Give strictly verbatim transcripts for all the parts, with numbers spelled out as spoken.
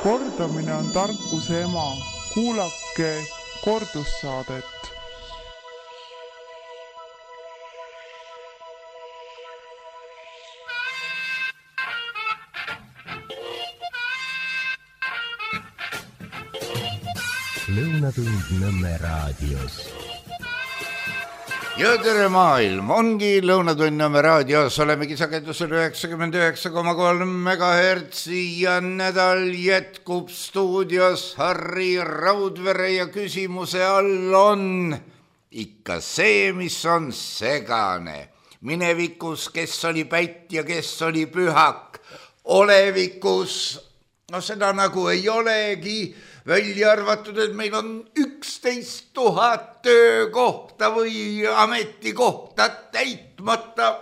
Kordamine on tarkuse ema. Kuulake kordussaadet. Lõunatund Nõmme raadios. Ja tere maailm, ongi Lõunatund Nõmme raadios, olemegi sagedusel üheksakümmend üheksa koma kolm megahertsi ja nädal jätkub stuudios Harri Raudvere ja küsimuse all on ikka see, mis on segane. Minevikus, kes oli pätt ja kes oli pühak, olevikus, no seda nagu ei olegi, välja arvatud, et meil on üksteist tuhat töökohta või ametikohta täitmata.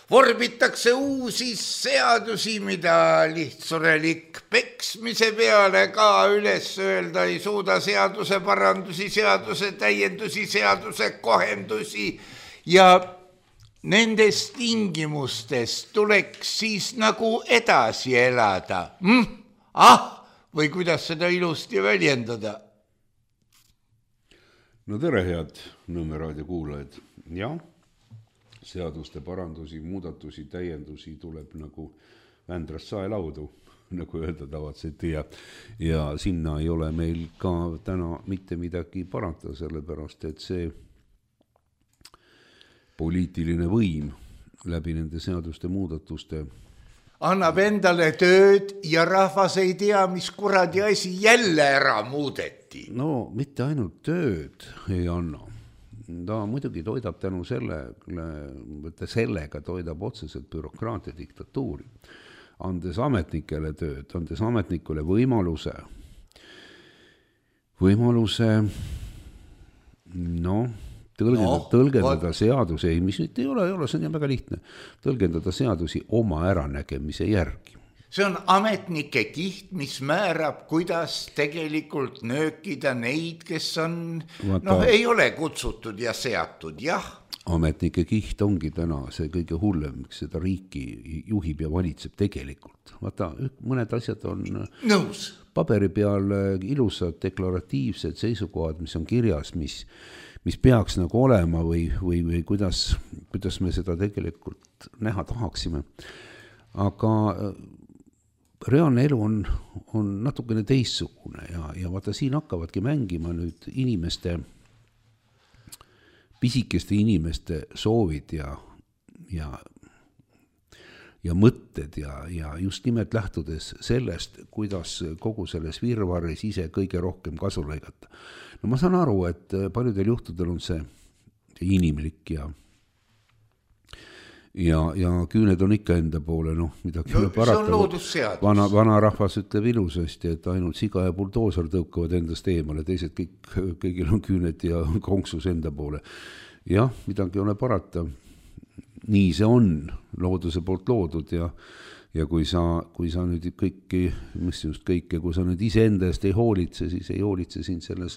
Vorbitakse uusi seadusi, mida lihtsurelik peksmise peale ka üles öelda ei suuda, seaduse parandusi, seaduse täiendusi, seaduse kohendusi ja nendes tingimustes tuleks siis nagu edasi elada. Hm? Ah! Või kuidas seda ilusti väljendada? No tere, head Nõmme raadio kuulajad. Ja, seaduste parandusi, muudatusi, täiendusi tuleb nagu Vändrast saelaudu, nagu öelda tavatseti. Ja, ja sinna ei ole meil ka täna mitte midagi parata, sellepärast, et see poliitiline võim läbi nende seaduste muudatuste annab endale tööd ja rahvas ei tea, mis kuradi asi jälle ära muudeti. No mitte ainult tööd ei anna. Ta muidugi toidab tänu selle, sellega toidab otseselt bürokraatia diktatuuri. Andes ametnikele tööd, andes ametnikule võimaluse, võimaluse, no... Tõlgendada, no, tõlgendada seadusi, mis nüüd ei ole, ei ole, see on väga lihtne, tõlgendada seadusi oma äranägemise järgi. See on ametnike kiht, mis määrab, kuidas tegelikult nöökida neid, kes on, Vaata, noh, ei ole kutsutud ja seatud, jah. Ametnike kiht ongi täna see kõige hullem, miks seda riiki juhib ja valitseb tegelikult. Vaata, mõned asjad on nõus. Paberi peal ilusad deklaratiivsed seisukohad, mis on kirjas, mis mis peaks nagu olema või, või, või kuidas, kuidas me seda tegelikult näha tahaksime. Aga reaalne elu on, on natukene teissugune ja, ja vaata siin hakkavadki mängima nüüd inimeste, pisikeste inimeste soovid ja, ja, ja mõtted ja, ja just nimelt lähtudes sellest, kuidas kogu selles virvarris ise kõige rohkem kasu lõigata. No ma saan aru, et paljudel juhtudel on see, see inimlik ja, ja, ja küüned on ikka enda poole, noh, midagi no, parata. Vana, vana rahvas ütleb ilusasti, et ainult siga ja buldoosar tõukavad endast eemale, teised kõik, kõigil on küüned ja konksus enda poole. Jah, midagi ei ole parata. Nii see on looduse poolt loodud ja Ja kui sa, kui sa nüüd kõiki, mis just kõike, kui sa nüüd ise enda eest ei hoolitse, siis ei hoolitse siin selles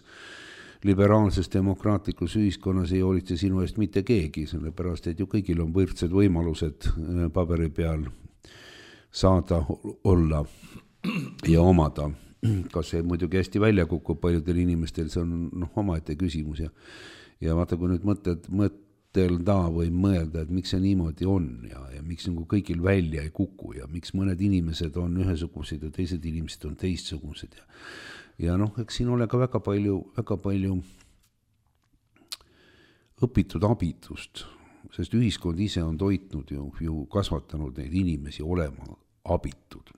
liberaalses demokraatlikus ühiskonnas, ei hoolitse sinu eest mitte keegi, sellepärast, et ju kõigil on võrdsed võimalused paberi peal saada, olla ja omada. Kas see muidugi hästi välja kukub paljudel inimestel, see on noh, omaette küsimus ja, ja vaata, kui nüüd mõtted, mõtted telda või mõelda, et miks see niimoodi on ja, ja miks nagu kõigil välja ei kuku ja miks mõned inimesed on ühesugused ja teised inimesed on teistsugused. Ja, ja noh, eks siin ole ka väga palju, väga palju õpitud abitust, sest ühiskond ise on toitnud ju, ju kasvatanud neid inimesi olema abitud.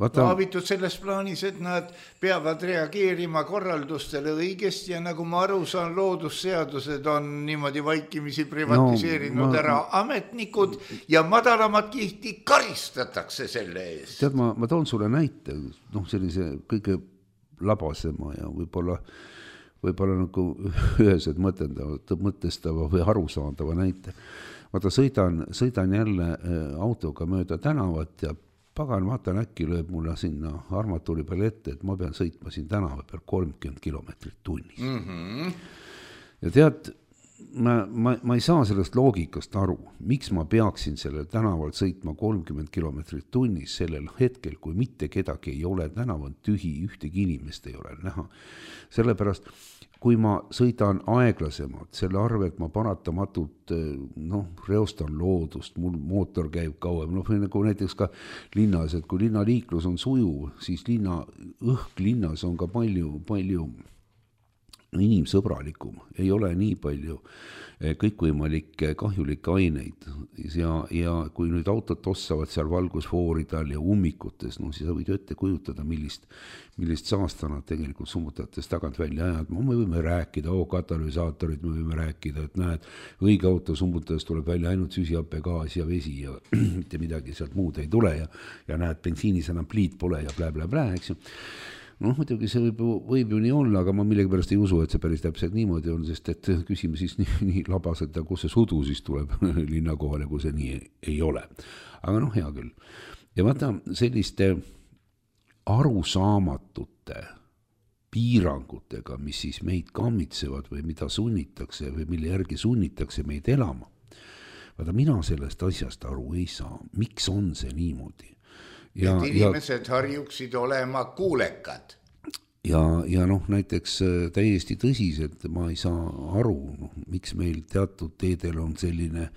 Vaata, no, abitud selles plaanis, et nad peavad reageerima korraldustele õigesti ja nagu ma aru saan, loodusseadused on niimoodi vaikimisi privatiseerinud no, ma, ära ametnikud ja madalamat kihti karistatakse selle eest. Tead, ma, ma toon sulle näite, noh, sellise kõige labasema ja võib-olla, võib-olla nagu üheselt mõtestava või arusaadava näite. Vaata, sõidan, sõidan jälle autoga mööda tänavat ja pagan, vaatan, äkki lööb mulle sinna armatuuri peale ette, et ma pean sõitma siin tänava peal kolmkümmend kilomeetrit tunnis. Mm-hmm. Ja tead, ma, ma, ma ei saa sellest loogikast aru, miks ma peaksin sellel tänaval sõitma kolmkümmend kilomeetrit tunnis sellel hetkel, kui mitte kedagi ei ole, tänav on tühi, ühtegi inimest ei ole näha. Sellepärast, kui ma sõidan aeglasemalt, selle arvelt ma paratamatult noh, reostan loodust, mul mootor käib kauem, noh nagu näiteks ka linnas, et kui linnaliiklus on sujuv, siis linna, õhk linnas on ka palju, palju inimsõbralikum, ei ole nii palju kõikvõimalikke kahjulikke aineid ja, ja kui nüüd autod tossavad seal valgusfooridel ja ummikutes, no siis sa võid ette kujutada, millist, millist saasta nad tegelikult summutajatest tagant välja ajad. Me võime rääkida, oo katalüsaatorid, me võime rääkida, et näed, õige auto summutajast tuleb välja ainult süsihappegaas ja vesi ja mitte midagi sealt muud ei tule ja, ja näed, bensiinis enam pliit pole ja blä, blä, blä, eks ju. Noh, muidugi see võib, võib ju nii olla, aga ma millegi pärast ei usu, et see päris täpselt niimoodi on, sest et küsime siis nii, nii labaselt, kus see sudu siis tuleb linna kohale, kui see nii ei, ei ole. Aga noh, hea küll. Ja vaata selliste arusaamatute piirangutega, mis siis meid kammitsevad või mida sunnitakse või mille järgi sunnitakse meid elama. Vaata, mina sellest asjast aru ei saa. Miks on see niimoodi? Ja, et inimesed ja, harjuksid olema kuulekad. Ja, ja noh, näiteks täiesti tõsiselt ma ei saa aru, noh, miks meil teatud teedel on selline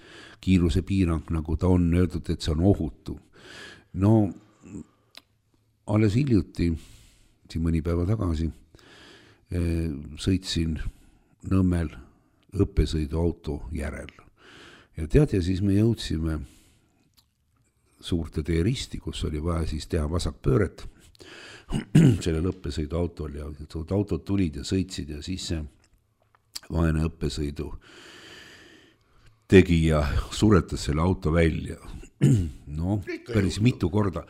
kiiruse piirang, nagu ta on öeldud, et see on ohutu. No, alles hiljuti, siin mõni päeva tagasi, sõitsin Nõmmel õppesõiduauto järel. Ja tead, ja siis me jõudsime suurte tee risti, kus oli vaja siis teha vasakpööret sellel õppesõidu autol ja autod tulid ja sõitsid ja siis see vaene õppesõidu tegi ja suretas selle auto välja. No, päris mitu korda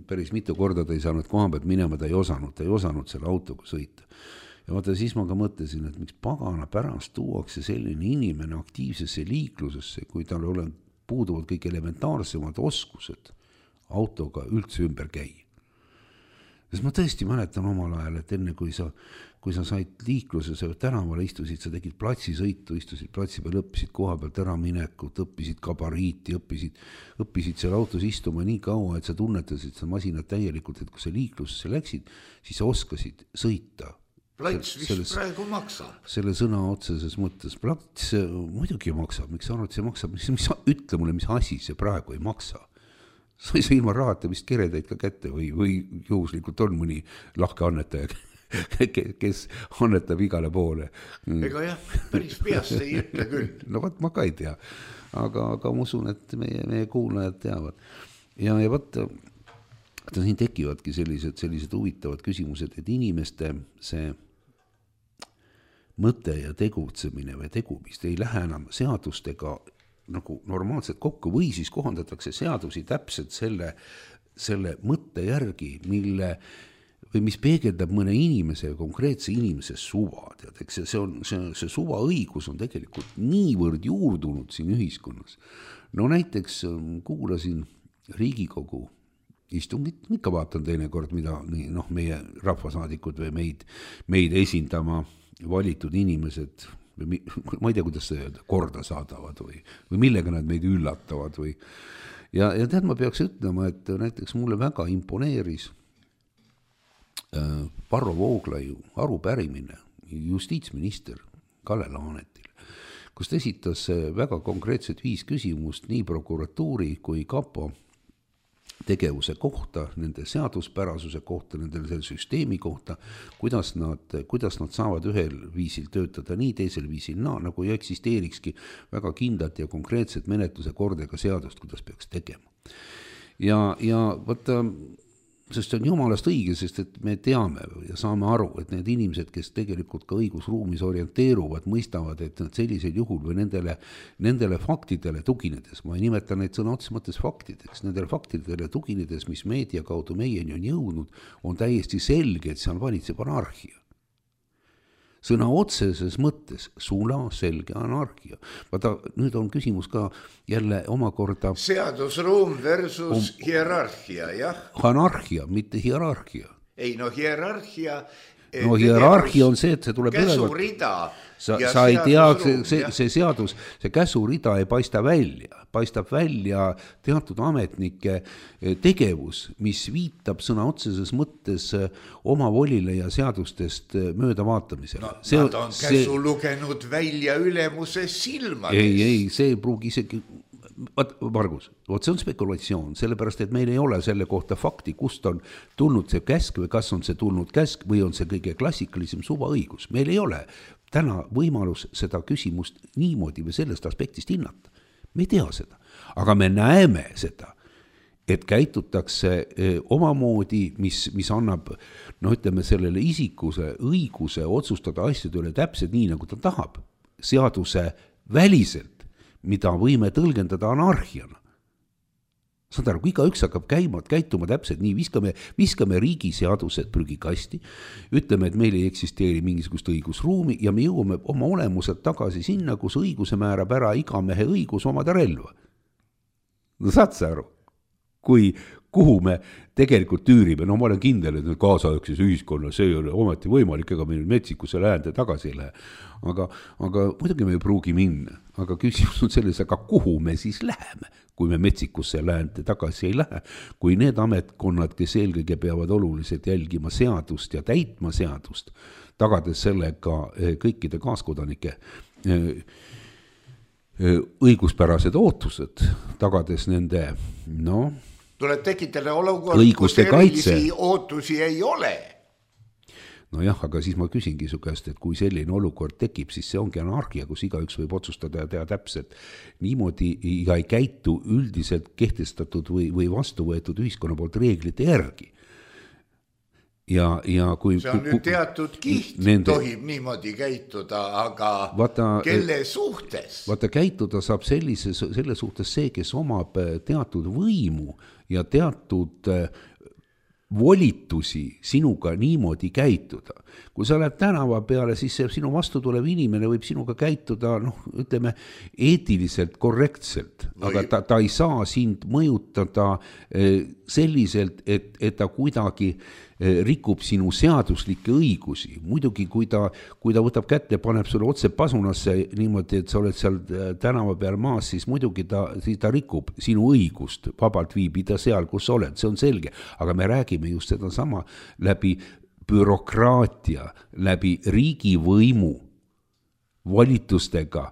päris mitu korda ta ei saanud koha pealt minema, ta ei osanud, ta ei osanud selle autoga sõita. Ja vaata, siis ma ka mõtlesin, et miks pagana pärast tuuakse selline inimene aktiivsesse liiklusesse, kui tal ole puuduvad kõik elementaarsemad oskused autoga üldse ümber käi. Sest ma tõesti mäletan omal ajal, et enne kui sa, kui sa said liikluses tänavale istusid, sa tegid platsisõitu, istusid platsi peal, õppisid koha pealt ära minekut, õppisid kabariiti, õppisid, õppisid seal autos istuma nii kaua, et sa tunnetasid seda masinat täielikult, et kui sa liiklusesse läksid, siis sa oskasid sõita. Plats vist selles, praegu maksab. Selle sõna otseses mõttes. Plats muidugi maksab. Miks sa arvad, see maksab? Mis, mis, ütle mulle, mis asi see praegu ei maksa. Sa ei saa ilma rahata vist keredaid ka kätte või, või juhuslikult on mõni lahke annetaja, kes annetab igale poole. Ega jah, päris peast ei ütle küll. No vaat ma ka ei tea. Aga, aga ma usun, et meie, meie kuulajad teavad. Ja, ja vaat siin tekivadki sellised, sellised huvitavad küsimused, et inimeste see mõte ja tegutsemine või tegumist ei lähe enam seadustega nagu normaalselt kokku või siis kohandatakse seadusi täpselt selle, selle mõtte järgi, mille või mis peegeldab mõne inimese, konkreetse inimese suva. Tead, eks see, on, see, see suva õigus on tegelikult niivõrd juurdunud siin ühiskonnas. No näiteks kuulasin Riigikogu istungit, ikka vaatan teinekord, mida noh, meie rahvasaadikud või meid, meid esindama valitud inimesed, või, ma ei tea, kuidas see öelda, korda saadavad või, või millega nad meid üllatavad. Või. Ja, ja tead, ma peaks ütlema, et näiteks mulle väga imponeeris äh, Varro Vooglaiu arupärimine justiitsminister Kalle Laanetil, kus ta esitas väga konkreetselt viis küsimust nii prokuratuuri kui kapo tegevuse kohta, nende seaduspärasuse kohta, nende süsteemi kohta, kuidas nad, kuidas nad saavad ühel viisil töötada nii, teisel viisil naa, nagu ei eksisteerikski väga kindlat ja konkreetset menetluse kordega seadust, kuidas peaks tegema. Ja, ja võtta, sest see on jumalast õige, sest et me teame ja saame aru, et need inimesed, kes tegelikult ka õigusruumis orienteeruvad, mõistavad, et nad sellisel juhul või nendele, nendele faktidele tuginedes, ma ei nimeta neid sõna otseses mõttes faktideks, nendele faktidele tuginedes, mis meedia kaudu meieni on jõudnud, on täiesti selge, et seal valitseb anarhia. Sõna otseses mõttes sula selge anarhia. Vaata, nüüd on küsimus ka jälle omakorda seadusruum versus um, hierarhia, jah. Anarhia, mitte hierarhia. Ei, no hierarhia no hierarhia on see, et see tuleb käsurida. Sa, sa ei tea, see, see, see seadus, see käsurida ei paista välja, paistab välja teatud ametnike tegevus, mis viitab sõna otseses mõttes oma volile ja seadustest mööda vaatamisele. No, see, nad on käsu see, lugenud välja ülemuse silmades. Ei, ei, see ei pruugi isegi... Vaat, Margus, vaat see on spekulatsioon, sellepärast, et meil ei ole selle kohta fakti, kust on tulnud see käsk või kas on see tulnud käsk või on see kõige klassikalisem suvaõigus. Meil ei ole täna võimalus seda küsimust niimoodi või sellest aspektist hinnata. Me ei tea seda, aga me näeme seda, et käitutakse omamoodi, mis, mis annab, no ütleme, sellele isikuse õiguse otsustada asjade üle täpselt nii, nagu ta tahab, seaduse väliselt, mida võime tõlgendada anarhiana. Saad aru, kui iga üks hakkab käima, käituma täpselt nii, viskame, viskame riigi seadused prügikasti, ütleme, et meil ei eksisteeri mingisugust õigusruumi ja me jõuame oma olemuselt tagasi sinna, kus õiguse määrab ära iga mehe õigus omada relva. No saad sa aru, kui, kuhu me tegelikult tüürime, no ma olen kindel, et nüüd kaasaegses ühiskonnas see ei ole ometi võimalik, ega me nüüd metsikusse läände tagasi ei lähe. Aga, aga muidugi me ei pruugi minna, aga küsimus on selles, aga kuhu me siis läheme, kui me metsikusse läände tagasi ei lähe, kui need ametkonnad, kes eelkõige peavad oluliselt jälgima seadust ja täitma seadust, tagades sellega kõikide kaaskodanike õiguspärased ootused, tagades nende, no tuleb tekitada olukord, kus erilisi ootusi ei ole. No jah, aga siis ma küsingi su käest, et kui selline olukord tekib, siis see ongi anarhia, kus igaüks võib otsustada ja teha täpselt niimoodi ja ei käitu üldiselt kehtestatud või, või vastu võetud ühiskonna poolt reeglite järgi. Ja, ja kui, see on nüüd teatud kiht, nende, tohib niimoodi käituda, aga vaata, kelle suhtes? Vaata, käituda saab sellise, selle suhtes see, kes omab teatud võimu ja teatud volitusi sinuga niimoodi käituda. Kui sa oled tänava peale, siis see sinu vastu tulev inimene võib sinuga käituda, noh, ütleme, eetiliselt korrektselt, no, aga ta, ta ei saa sind mõjutada selliselt, et, et ta kuidagi rikub sinu seaduslikke õigusi. Muidugi, kui ta, kui ta võtab kätte ja paneb sulle otse pasunasse niimoodi, et sa oled seal tänava peal maas, siis muidugi ta, siis ta rikub sinu õigust vabalt viibida seal, kus oled, see on selge. Aga me räägime just seda sama läbi bürokraatia, läbi riigivõimu volitustega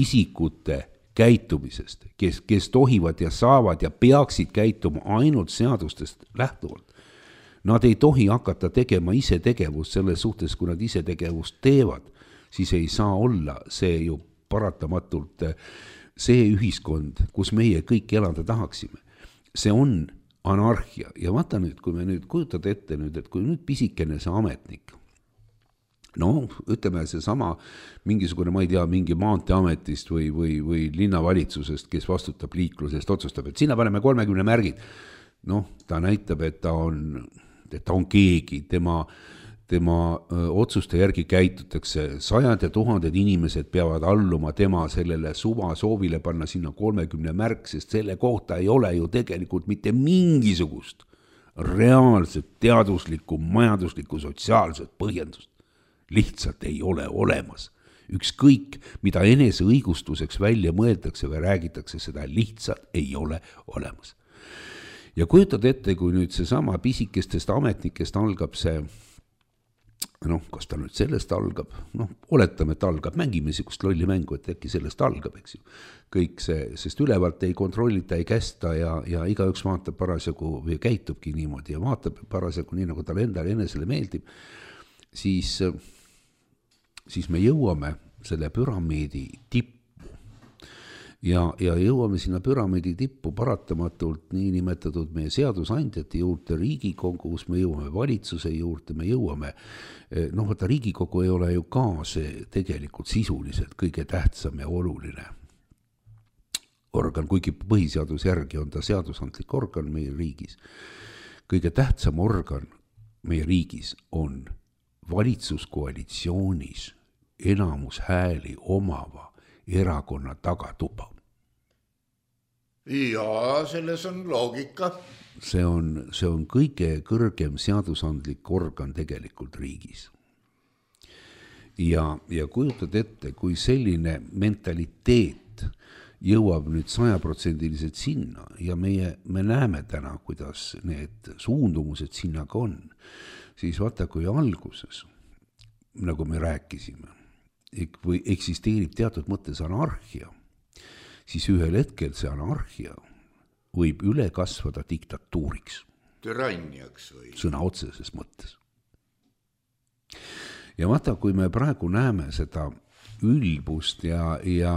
isikute käitumisest, kes, kes tohivad ja saavad ja peaksid käituma ainult seadustest lähtuvalt. Nad ei tohi hakata tegema ise tegevust selles suhtes, kui nad ise tegevust teevad, siis ei saa olla see ju paratamatult see ühiskond, kus meie kõik elada tahaksime. See on anarhia ja vaata nüüd, kui me nüüd kujutad ette nüüd, et kui nüüd pisikene see ametnik, no ütleme see sama mingisugune, ma ei tea, mingi maanteametist või, või, või linnavalitsusest, kes vastutab liiklusest, otsustab, et sinna paneme kolmekümne märgid. Noh, ta näitab, et ta on, et ta on keegi, tema, tema öö, otsuste järgi käitutakse, sajad ja tuhanded inimesed peavad alluma tema sellele suva soovile panna sinna kolmekümne märk, sest selle kohta ei ole ju tegelikult mitte mingisugust reaalset, teaduslikku, majanduslikku, sotsiaalset põhjendust. Lihtsalt ei ole olemas. Ükskõik, mida enese õigustuseks välja mõeldakse või räägitakse, seda lihtsalt ei ole olemas. Ja kujutad ette, kui nüüd see sama pisikestest ametnikest algab see, noh, kas ta nüüd sellest algab, noh, oletame, et algab, mängime niisugust lolli mängu, et äkki sellest algab, eks ju. Kõik see, sest ülevalt ei kontrollita, ei kästa ja, ja igaüks vaatab parasjagu või käitubki niimoodi ja vaatab parasjagu nii, nagu tal endale enesele meeldib, siis, siis me jõuame selle püramiidi tippu. Ja, ja jõuame sinna püramiidi tippu paratamatult nii nimetatud meie seadusandjate juurde, Riigikogus, me jõuame valitsuse juurde, me jõuame, noh, võtta Riigikogu ei ole ju ka see tegelikult sisuliselt kõige tähtsam ja oluline organ, kuigi põhiseaduse järgi on ta seadusandlik organ meie riigis. Kõige tähtsam organ meie riigis on valitsuskoalitsioonis enamus hääli omava erakonna tagatuba. Ja selles on loogika. See on, see on kõige kõrgem seadusandlik organ tegelikult riigis. ja, ja kujutad ette, kui selline mentaliteet jõuab nüüd sajaprotsendiliselt sinna ja meie, me näeme täna, kuidas need suundumused sinna ka on, siis vaata, kui alguses, nagu me rääkisime, või eksisteerib teatud mõttes anarhia, siis ühel hetkel see anarhia võib üle kasvada diktatuuriks. Türanniaks või? Sõna otseses mõttes. Ja vaata, kui me praegu näeme seda ülbust ja, ja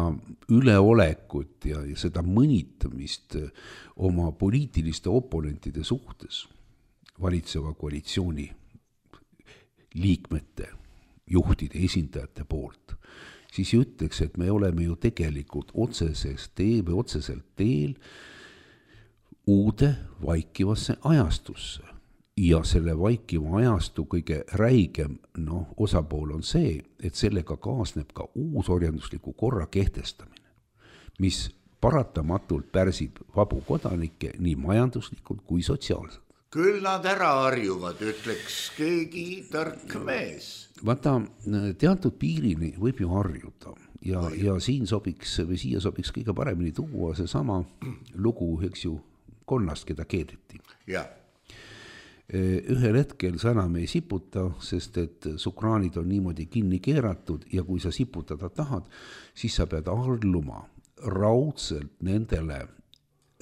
üleolekut ja, ja seda mõnitamist oma poliitiliste oponentide suhtes, valitseva koalitsiooni liikmete, juhtide, esindajate poolt, siis ütleks, et me oleme ju tegelikult otseses tee või otseselt teel uude vaikivasse ajastusse. Ja selle vaikiva ajastu kõige räigem no, osapool on see, et sellega kaasneb ka uusorjandusliku korra kehtestamine, mis paratamatult pärsib vabu kodanikke nii majanduslikult kui sotsiaalselt. Küll nad ära harjuvad, ütleks keegi tark mees. Vaata, teatud piirini võib ju harjuda ja, ja siin sobiks, või siia sobiks kõige paremini tuua see sama lugu, eks ju, konnast, keda keedeti. Jah. Ühel hetkel sa enam ei siputa, sest et sukraanid on niimoodi kinni keeratud ja kui sa siputada tahad, siis sa pead alluma raudselt nendele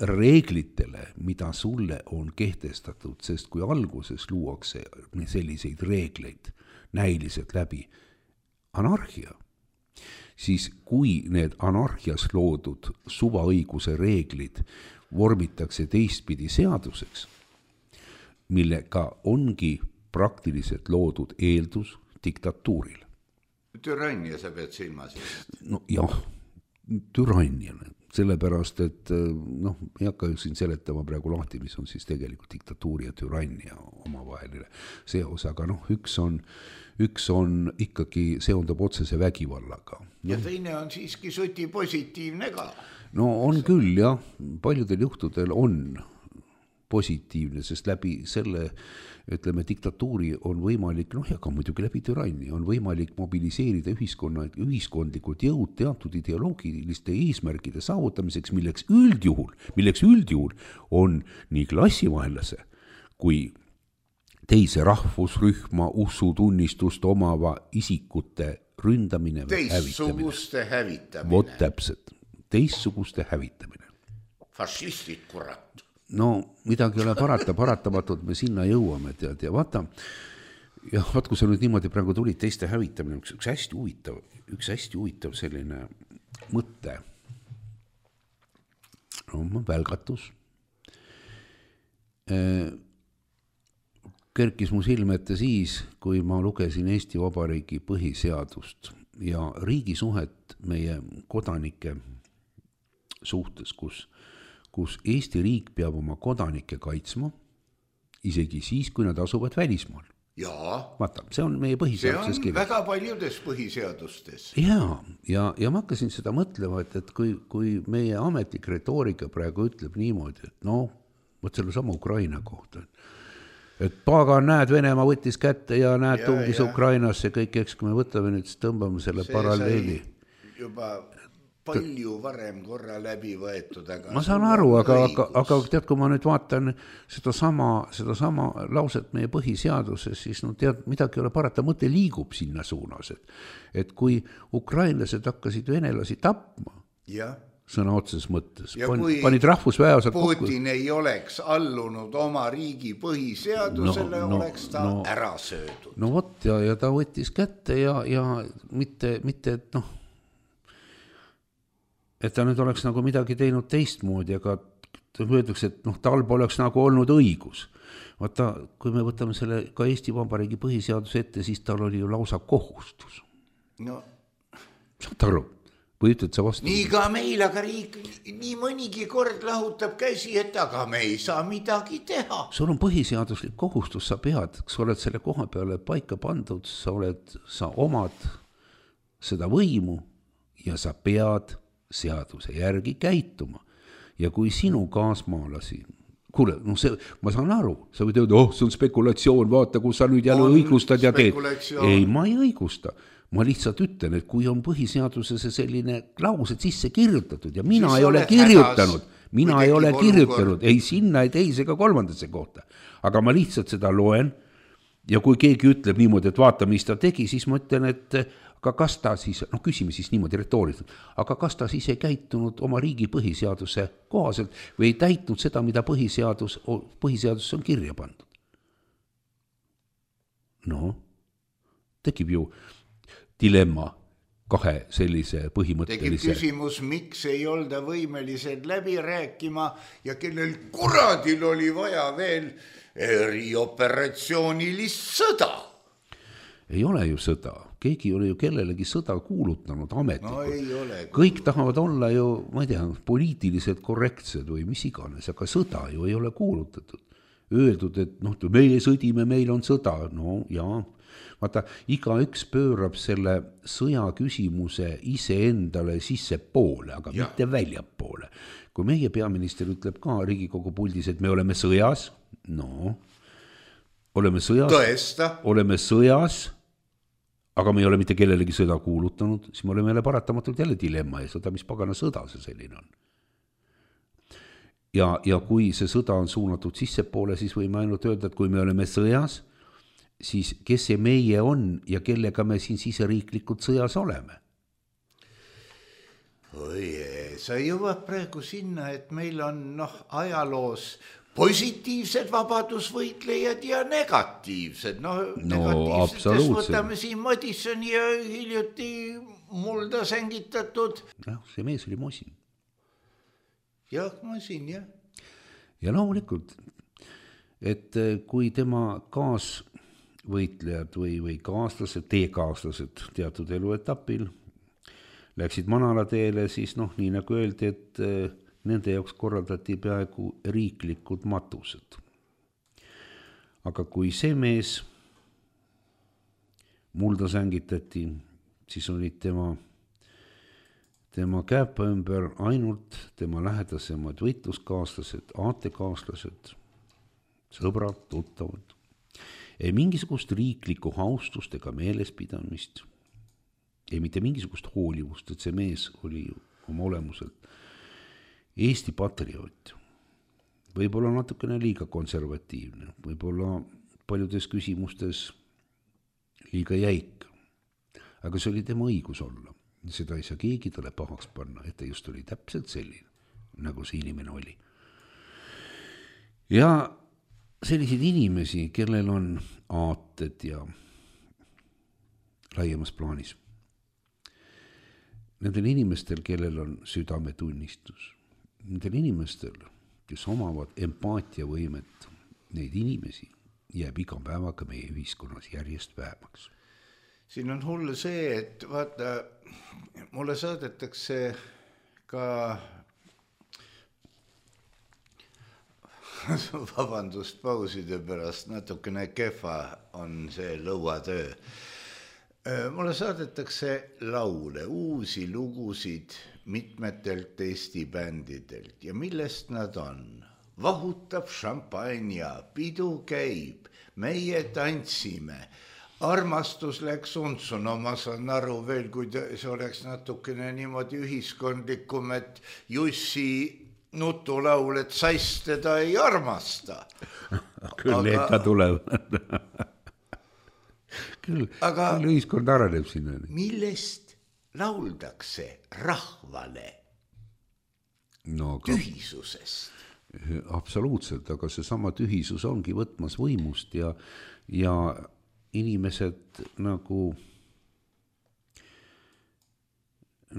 reeglitele, mida sulle on kehtestatud, sest kui alguses luuakse selliseid reegleid näiliselt läbi anarhia, siis kui need anarhias loodud suvaõiguse reeglid vormitakse teistpidi seaduseks, millega ongi praktiliselt loodud eeldus diktatuuril. Türannia sa pead silmas. No jah, türannia, sellepärast, et noh, ei hakka siin seletama praegu lahti, mis on siis tegelikult diktatuuri ja türannia omavaheline seos, aga noh, üks on, üks on ikkagi seondab otsese vägivallaga. Ja teine on siiski suti positiivne ka. No on küll, jah, paljudel juhtudel on positiivne, sest läbi selle, ütleme, diktatuuri on võimalik, noh ja ka muidugi läbi türannia, on võimalik mobiliseerida ühiskonna, ühiskondlikud jõud teatud ideoloogiliste eesmärkide saavutamiseks, milleks üldjuhul, milleks üldjuhul on nii klassivaenlase kui teise rahvusrühma ussutunnistust omava isikute ründamine või teistsuguste hävitamine. Vot täpselt, teistsuguste hävitamine. Fašistid, kurat. No midagi ei ole parata, paratamatult me sinna jõuame, tead, ja vaata, ja vaat, kui sa nüüd niimoodi praegu tulid teiste hävitamine, üks, üks hästi huvitav, üks hästi huvitav selline mõte, no välgatus, kerkis mu silme ette siis, kui ma lugesin Eesti Vabariigi põhiseadust ja riigisuhet meie kodanike suhtes, kus kus Eesti riik peab oma kodanikke kaitsma, isegi siis, kui nad asuvad välismaal. Jaa. Vaata, see on meie põhiseaduses kirjas. See on väga paljudes põhiseadustes. Jaa, ja, ja ma hakkasin seda mõtlema, et, et kui, kui meie ametlik retoorika praegu ütleb niimoodi, et no, võt selle sama Ukraina kohta, et pagan, näed, Venemaa võttis kätte ja näed, ja, tungis ja. Ukrainasse kõik, eks kui me võtame nüüd, siis tõmbame selle see paralleeli. Juba palju varem korra läbi võetud, aga ma saan aru, aga, aga, aga tead, kui ma nüüd vaatan seda sama, seda sama lauset meie põhiseaduses, siis no tead, midagi ei ole parata, mõte liigub sinna suunas, et, et kui ukrainlased hakkasid venelasi tapma, ja. Sõna otses mõttes, ja Pan, panid rahvusväeosad Putin kokku. ei oleks allunud oma riigi põhiseadusele, no, no, oleks ta no, ära söödud. No vot, ja, ja ta võttis kätte ja, ja mitte, mitte, et noh, et ta nüüd oleks nagu midagi teinud teistmoodi, aga öeldakse, et noh, tal poleks nagu olnud õigus. Vaata, kui me võtame selle ka Eesti Vabariigi põhiseaduse ette, siis tal oli ju lausa kohustus. No. Saad aru? Või ütled sa vastu? Nii ka meil, aga riik nii mõnigi kord lahutab käsi, et aga me ei saa midagi teha. Sul on põhiseaduslik kohustus, sa pead, sa oled selle koha peale paika pandud, sa oled, sa omad seda võimu ja sa pead seaduse järgi käituma. Ja kui sinu kaasmaalasi kuule, no see, ma saan aru, sa võid öelda, oh, see on spekulatsioon, vaata, kus sa nüüd jälle õigustad ja teed. Ei, ma ei õigusta. Ma lihtsalt ütlen, et kui on põhiseaduses selline klaused sisse kirjutatud ja mina siis ei ole kirjutanud, hädas, mina ei ole kirjutanud, ei sinna, ei teise ega kolmandasse kohta. Aga ma lihtsalt seda loen ja kui keegi ütleb niimoodi, et vaata, mis ta tegi, siis ma ütlen, et aga kas ta siis, noh küsime siis niimoodi retooriselt, aga kas ta siis ei käitunud oma riigi põhiseaduse kohaselt või ei täitnud seda, mida põhiseadus, põhiseadus on kirja pandud? No, tekib ju dilemma kahe sellise põhimõttelise. Tekib küsimus, miks ei olda võimelised läbi rääkima ja kellel kuradil oli vaja veel erioperatsioonilist sõda. Ei ole ju sõda. Keegi ei ole ju kellelegi sõda kuulutanud ametlikult. No ei ole. Kõik tahavad olla ju, ma ei tea, poliitiliselt korrektsed või mis iganes, aga sõda ju ei ole kuulutatud. Öeldud, et noh, meie sõdime, meil on sõda. No jaa. Vaata, iga üks pöörab selle sõja küsimuse ise endale sisse poole, aga ja. mitte väljapoole. Kui meie peaminister ütleb ka Riigikogu puldis, et me oleme sõjas, no, oleme sõjas, Tõesta. oleme sõjas, aga me ei ole mitte kellelegi sõda kuulutanud, siis me oleme jälle paratamatult jälle dilemma ja sõda, mis pagana sõda see selline on. Ja, ja kui see sõda on suunatud sisse poole, siis võime ainult öelda, et kui me oleme sõjas, siis kes see meie on ja kellega me siin siseriiklikult sõjas oleme? Oi, sa jõuad praegu sinna, et meil on noh, ajaloos positiivsed vabadusvõitlejad ja negatiivsed. No, no absoluutselt. Võtame siin Madissoni ja hiljuti mulda sängitatud. Ja, see mees oli Mosin. Jah, Mosin, jah. Ja loomulikult, et kui tema kaas võitlejad või, või kaaslased, teekaaslased teatud eluetapil läksid manalateele, siis noh, nii nagu öeldi, et nende jaoks korraldati peaaegu riiklikud matused. Aga kui see mees mulda sängitati, siis olid tema, tema käepa ümber ainult tema lähedasemad võitluskaaslased, aatekaaslased, sõbrad, tuttavad. Ei mingisugust riiklikku haustust ega meelespidamist, ei mitte mingisugust hoolivust, et see mees oli oma olemuselt Eesti patrioot. Võib-olla natukene liiga konservatiivne, võib-olla paljudes küsimustes liiga jäik, aga see oli tema õigus olla. Seda ei saa keegi talle pahaks panna, et ta just oli täpselt selline, nagu see inimene oli. Ja selliseid inimesi, kellel on aated ja laiemas plaanis. Nendel inimestel, kellel on südametunnistus, nendel inimestel, kes omavad empaatiavõimet, neid inimesi jääb iga päevaga meie ühiskonnas järjest vähemaks. Siin on hull see, et vaata, mulle saadetakse ka vabandust pauside pärast, natukene kehva on see lõuatöö. Mulle saadetakse laule, uusi lugusid mitmetelt Eesti bändidelt ja millest nad on? Vahutab šampanja, pidu käib, meie tantsime, armastus läks untsu, no ma saan aru veel, kui see oleks natukene niimoodi ühiskondlikum, et Jussi nutulaul, et sass teda ei armasta. Küll aga... ikka tuleb. küll, aga küll ühiskond areneb sinna. Millest lauldakse rahvale? No, aga... tühisusest. Absoluutselt, aga see sama tühisus ongi võtmas võimust ja, ja inimesed nagu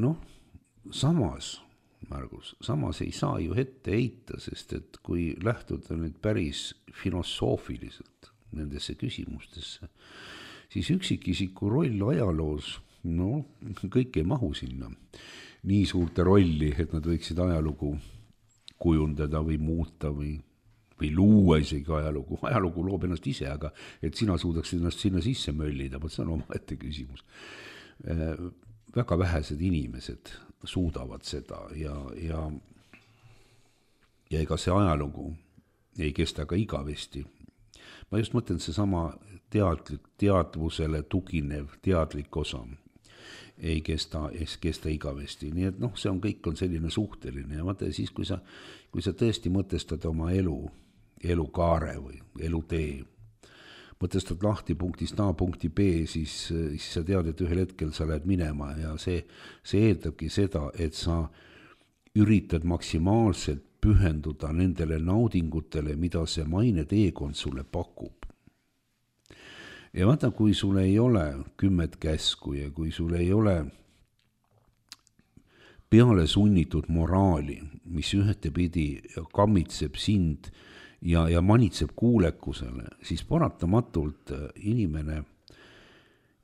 noh, samas Margus, samas ei saa ju ette heita, sest et kui lähtuda nüüd päris filosoofiliselt nendesse küsimustesse, siis üksikisiku roll ajaloos, no kõik ei mahu sinna nii suurte rolli, et nad võiksid ajalugu kujundada või muuta või, või luua isegi ajalugu. Ajalugu loob ennast ise, aga et sina suudaks ennast sinna sisse möllida, see on oma ette küsimus. Väga vähesed inimesed suudavad seda ja, ja, ja ega see ajalugu ei kesta ka igavesti. Ma just mõtlen seesama teadlik, teadvusele tuginev teadlik osa ei kesta, ei kesta igavesti. Nii et noh, see on kõik on selline suhteline ja vaata siis, kui sa, kui sa tõesti mõtestad oma elu, elukaare või elutee, mõtestad lahti punktist A punkti B, siis, siis sa tead, et ühel hetkel sa lähed minema ja see, see eeldabki seda, et sa üritad maksimaalselt pühenduda nendele naudingutele, mida see maine teekond sulle pakub. Ja vaata, kui sul ei ole kümmet käsku ja kui sul ei ole peale sunnitud moraali, mis ühtepidi kammitseb sind ja, ja manitseb kuulekusele, siis paratamatult inimene,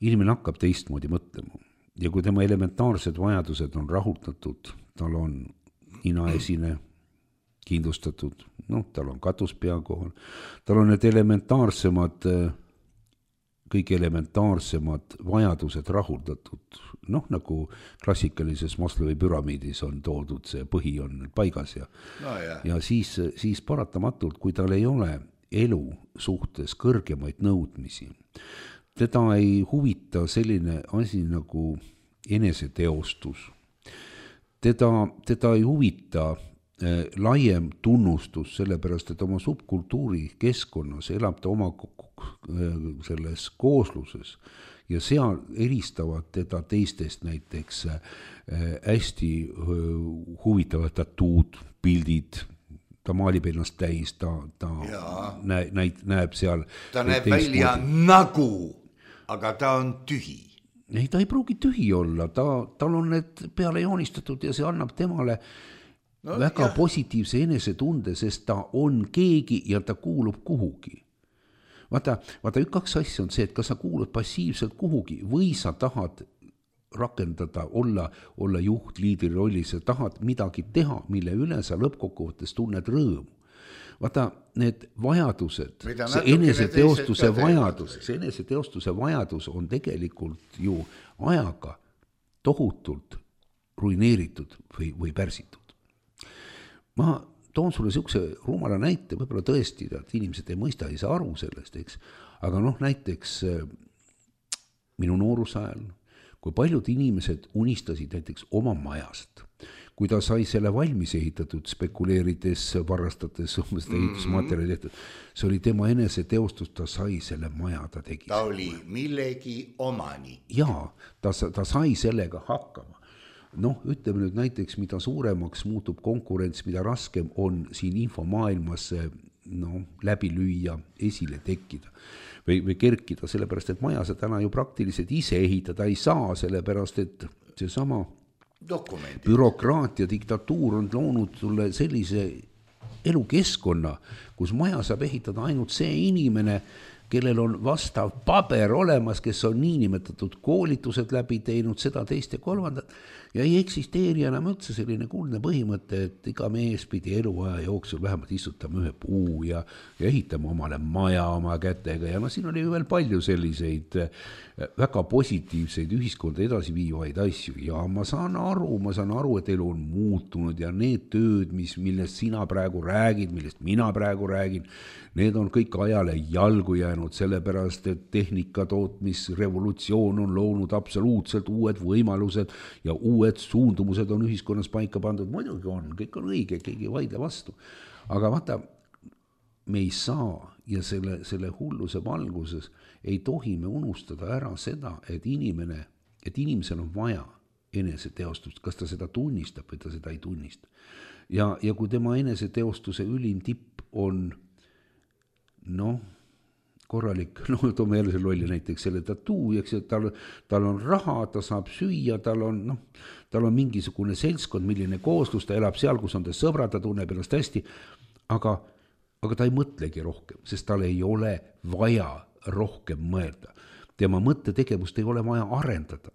inimene hakkab teistmoodi mõtlema. Ja kui tema elementaarsed vajadused on rahuldatud, tal on ninaesine kindlustatud, noh, tal on katus pea kohal, tal on need elementaarsemad kõik elementaarsemad vajadused rahuldatud, noh nagu klassikalises Maslowi püramiidis on toodud, see põhi on paigas ja, no, ja siis, siis paratamatult, kui tal ei ole elu suhtes kõrgemaid nõudmisi, teda ei huvita selline asi nagu eneseteostus, teda, teda ei huvita laiem tunnustus, sellepärast, et oma subkultuuri keskkonnas elab ta oma selles koosluses ja seal eristavad teda teistest näiteks hästi huvitavad tatuud, pildid, ta maalib ennast täis, ta, ta näe, näit, näeb seal. Ta näeb välja nagu, aga ta on tühi. Ei, ta ei pruugi tühi olla, ta, tal on need peale joonistatud ja see annab temale no, väga jah. Positiivse enesetunde, sest ta on keegi ja ta kuulub kuhugi. Vaata, vaata üks kaks asja on see, et kas sa kuulud passiivselt kuhugi või sa tahad rakendada, olla, olla juht, liidri rollis, sa tahad midagi teha, mille üle sa lõppkokkuvõttes tunned rõõmu. Vaata, need vajadused, see eneseteostuse vajadus, see eneseteostuse vajadus on tegelikult ju ajaga tohutult ruineeritud või, või pärsitud. Ma toon sulle siukse rumala näite, võib-olla tõesti, et inimesed ei mõista, ei saa aru sellest, eks. Aga noh, näiteks minu noorusajal, kui paljud inimesed unistasid näiteks oma majast, kui ta sai selle valmis ehitatud, spekuleerides, varastades, seda ehitusmaterjali tehtud, see oli tema eneseteostus, ta sai selle maja, ta tegi. Ta oli millegi omani. Jaa, ta, ta sai sellega hakkama. Noh, ütleme nüüd näiteks, mida suuremaks muutub konkurents, mida raskem on siin infomaailmas no, läbi lüüa, esile tekkida või, või kerkida, sellepärast, et maja sa täna ju praktiliselt ise ehitada ei saa, sellepärast, et see sama dokumendid. Bürokraatia, diktatuur on loonud sulle sellise elukeskkonna, kus maja saab ehitada ainult see inimene, kellel on vastav paber olemas, kes on niinimetatud koolitused läbi teinud, seda teist ja kolmandat, ja ei eksisteeri enam üldse selline kuldne põhimõte, et iga mees pidi eluaja jooksul vähemalt istutama ühe puu ja, ja ehitama omale maja oma kätega ja no siin oli ju veel palju selliseid väga positiivseid ühiskonda edasi viivaid asju ja ma saan aru, ma saan aru, et elu on muutunud ja need tööd, mis, millest sina praegu räägid, millest mina praegu räägin, need on kõik ajale jalgu jäänud, sellepärast, et tehnika tootmisrevolutsioon on loonud absoluutselt uued võimalused ja uued suundumused on ühiskonnas paika pandud. Muidugi on, kõik on õige, keegi ei vaidle vastu. Aga vaata, me ei saa ja selle, selle hulluse valguses ei tohi me unustada ära seda, et inimene, et inimesel on vaja eneseteostust, kas ta seda tunnistab või ta seda ei tunnista. Ja, ja kui tema eneseteostuse ülim tipp on noh, korralik, no toome jälle selle lolli näiteks selle tatuu, eks, et tal, tal on raha, ta saab süüa, tal on, noh, tal on mingisugune seltskond, milline kooslus, ta elab seal, kus on ta sõbrad, ta tunneb ennast hästi, aga, aga ta ei mõtlegi rohkem, sest tal ei ole vaja rohkem mõelda. Tema mõttetegevust ei ole vaja arendada.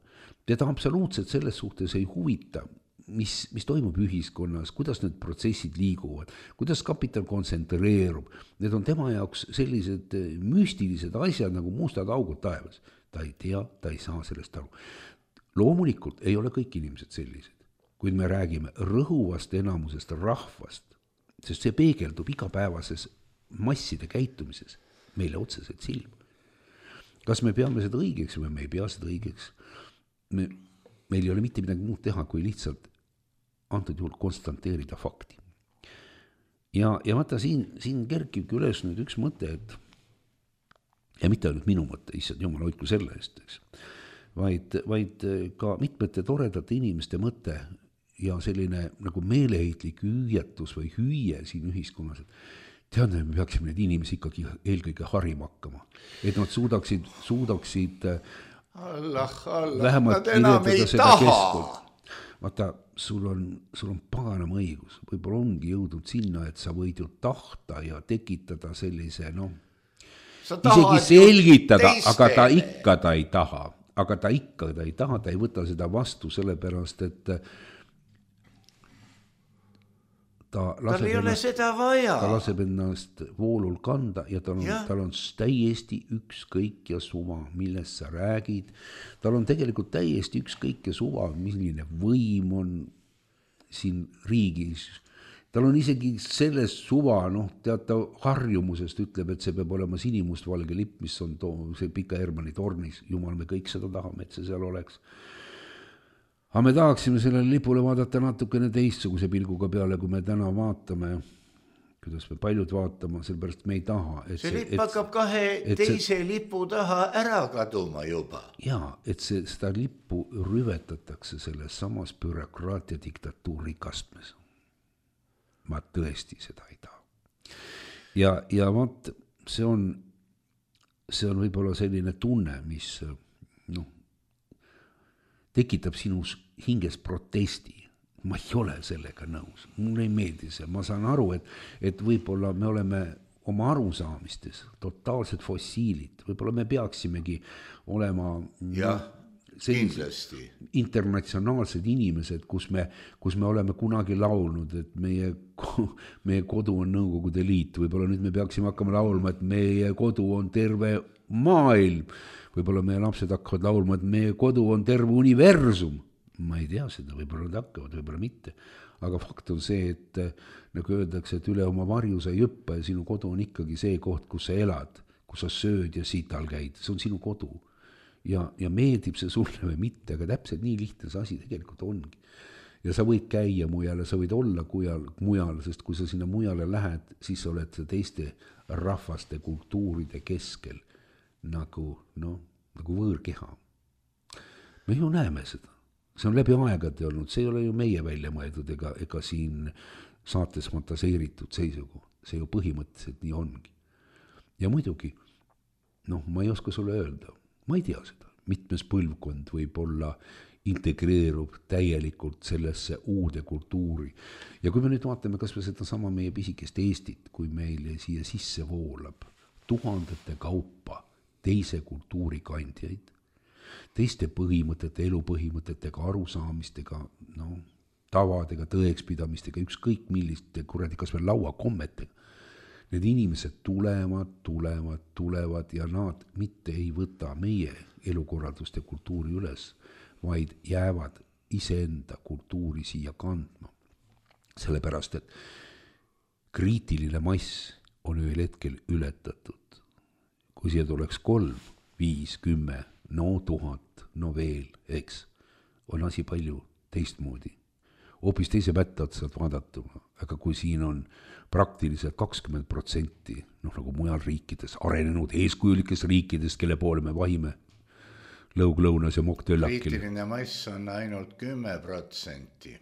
Teda absoluutselt selles suhtes ei huvita, mis, mis toimub ühiskonnas, kuidas need protsessid liiguvad, kuidas kapital kontsentreerub. Need on tema jaoks sellised müstilised asjad nagu mustad augud taevas. Ta ei tea, ta ei saa sellest aru. Loomulikult ei ole kõik inimesed sellised, kuid me räägime rõhuvast enamusest rahvast, sest see peegeldub igapäevases masside käitumises meile otseselt silma. Kas me peame seda õigeks või me ei pea seda õigeks? Me, meil ei ole mitte midagi muud teha, kui lihtsalt antud juhul konstanteerida fakti. Ja, ja vaata, siin, siin kerkibki üles nüüd üks mõte, et ja mitte ainult minu mõte, issand jumal hoidku selle eest, eks, vaid, vaid ka mitmete toredate inimeste mõte ja selline nagu meeleheitlik hüüetus või hüüe siin ühiskonnas, et tead, me peaksime neid inimesi ikkagi eelkõige harima hakkama, et nad suudaksid, suudaksid Allah, Allah, vähemalt kirjeldada seda keskkonda. Vaata, sul on, sul on paganama õigus, võib-olla ongi jõudnud sinna, et sa võid ju tahta ja tekitada sellise, noh, isegi selgitada, aga ta ikka ta ei taha, aga ta ikka ta ei taha, ta ei võta seda vastu sellepärast, et ta laseb, ennast, ta laseb ennast voolul kanda ja tal on, tal on täiesti ükskõik ja suva, millest sa räägid. Tal on tegelikult täiesti ükskõik ja suva, milline võim on siin riigis. Tal on isegi selles suva, noh, teata harjumusest ütleb, et see peab olema sinimustvalge lipp, mis on too, see Pika Hermanni tornis. Jumal, me kõik seda tahame, et see seal oleks. Aga me tahaksime sellele lipule vaadata natukene teistsuguse pilguga peale, kui me täna vaatame, kuidas me paljud vaatama, sellepärast me ei taha. Et see, see lipp hakkab kahe teise see, lipu taha ära kaduma juba. Jaa, et see, seda lippu rüvetatakse selles samas bürokraatia diktatuuri kastmes. Ma tõesti seda ei taha. Ja, ja vaat, see on, see on võib-olla selline tunne, mis, noh, tekitab sinus hinges protesti. Ma ei ole sellega nõus. Mulle ei meeldi see. Ma saan aru, et, et võib-olla me oleme oma arusaamistes totaalsed fossiilid. Võib-olla me peaksimegi olema ja, kindlasti internatsionaalsed inimesed, kus me, kus me oleme kunagi laulnud, et meie, meie kodu on Nõukogude Liit. Võib-olla nüüd me peaksime hakkama laulma, et meie kodu on terve maailm. Võib-olla meie lapsed hakkavad laulma, et meie kodu on terve universum. Ma ei tea seda, võib-olla nad hakkavad, võib-olla mitte. Aga fakt on see, et nagu öeldakse, et üle oma varju sa ei õppe ja sinu kodu on ikkagi see koht, kus sa elad, kus sa sööd ja sital käid. See on sinu kodu. Ja, ja meeldib see sulle või mitte, aga täpselt nii lihtne see asi tegelikult ongi. Ja sa võid käia mujal ja sa võid olla kujal, mujal, sest kui sa sinna mujale lähed, siis sa oled teiste rahvaste kultuuride keskel. Nagu, no, nagu võõrkeha. Me ju näeme seda. See on läbi aegade olnud. See ei ole ju meie välja mõeldud ega, ega siin saates fantaseeritud seisugu. See ju põhimõtteliselt nii ongi. Ja muidugi, noh, ma ei oska sulle öelda. Ma ei tea seda. Mitmes põlvkond võib olla integreerub täielikult sellesse uude kultuuri. Ja kui me nüüd vaatame kas või seda sama meie pisikest Eestit, kui meile siia sisse voolab tuhandete kaupa teise kultuuri kandjaid, teiste põhimõtete, elupõhimõtetega, arusaamistega, no, tavadega, tõekspidamistega, ükskõik milliste kuradi kas või lauakommetega. Need inimesed tulevad, tulevad, tulevad ja nad mitte ei võta meie elukorraldust ja kultuuri üles, vaid jäävad iseenda kultuuri siia kandma. Sellepärast, et kriitiline mass on ühel hetkel ületatud. Kui siia tuleks kolm, viis, kümme, no tuhat, no veel, eks, on asi palju teistmoodi. Hoopis teise pättad saad vaadatuma, aga kui siin on praktiliselt kakskümmend protsenti, noh nagu mujal riikides, arenenud eeskujulikes riikides, kelle poole me vahime, lõug-lõunas ja mokk-töllakil. Kriitiline mass on ainult kümme protsenti.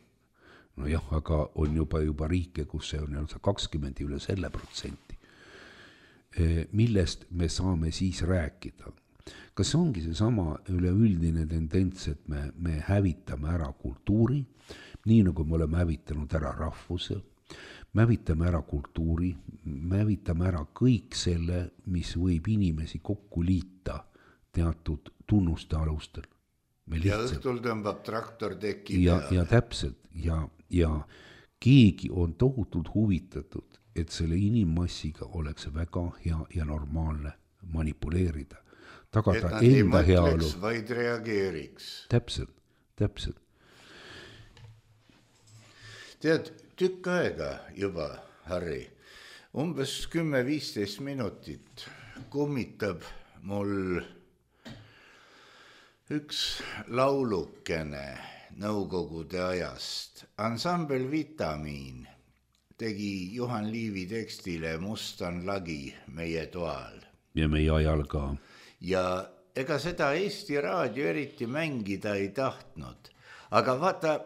No jah, aga on juba, juba riike, kus see on kakskümmend üle selle protsenti. Millest me saame siis rääkida? Kas see ongi see sama üleüldine tendents, et me, me hävitame ära kultuuri, nii nagu me oleme hävitanud ära rahvuse, me hävitame ära kultuuri, me hävitame ära kõik selle, mis võib inimesi kokku liita teatud tunnuste alustel. Ja õhtul tõmbab traktor teki ja, ja täpselt, ja, ja keegi on tohutult huvitatud, et selle inimmassiga oleks väga hea ja normaalne manipuleerida. Tagada et nad enda ei heaolu. mõtleks, vaid reageeriks. Täpselt, täpselt. Tead, tükk aega juba, Harri, umbes kümme viisteist minutit kummitab mul üks laulukene nõukogude ajast. Ansambel Vitamiin tegi Juhan Liivi tekstile Mustan lagi meie toal. Ja meie ajal ka. Ja ega seda Eesti Raadio eriti mängida ei tahtnud. Aga vaata,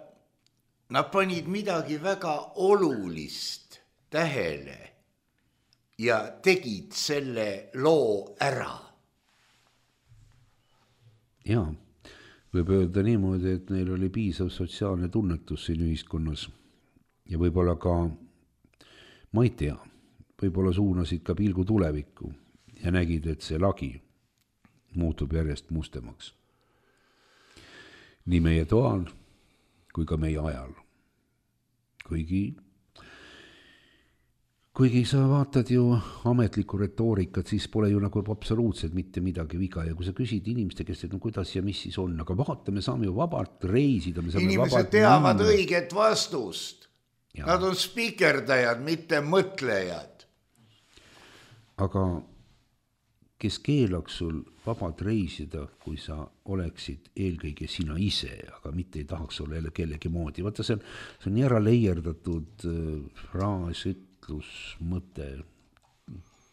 nad panid midagi väga olulist tähele ja tegid selle loo ära. Jaa, võib öelda niimoodi, et neil oli piisav sotsiaalne tunnetus siin ühiskonnas ja võib-olla ka, ma ei tea, võib-olla suunasid ka pilgu tulevikku ja nägid, et see lagi muutub järjest mustemaks. Nii meie toal kui ka meie ajal. Kuigi Kuigi sa vaatad ju ametlikku retoorikat, siis pole ju nagu absoluutselt mitte midagi viga. Ja kui sa küsid inimeste käest, et no kuidas ja mis siis on, aga vaata, me saame ju vabalt reisida. Me saame inimesed vabalt teavad minna. Õiget vastust. Ja. Nad on spikerdajad, mitte mõtlejad. Aga kes keelaks sul vabalt reisida, kui sa oleksid eelkõige sina ise, aga mitte ei tahaks olla jälle kellegi moodi. Vaata, see on, see on nii ära leierdatud fraas, mõte,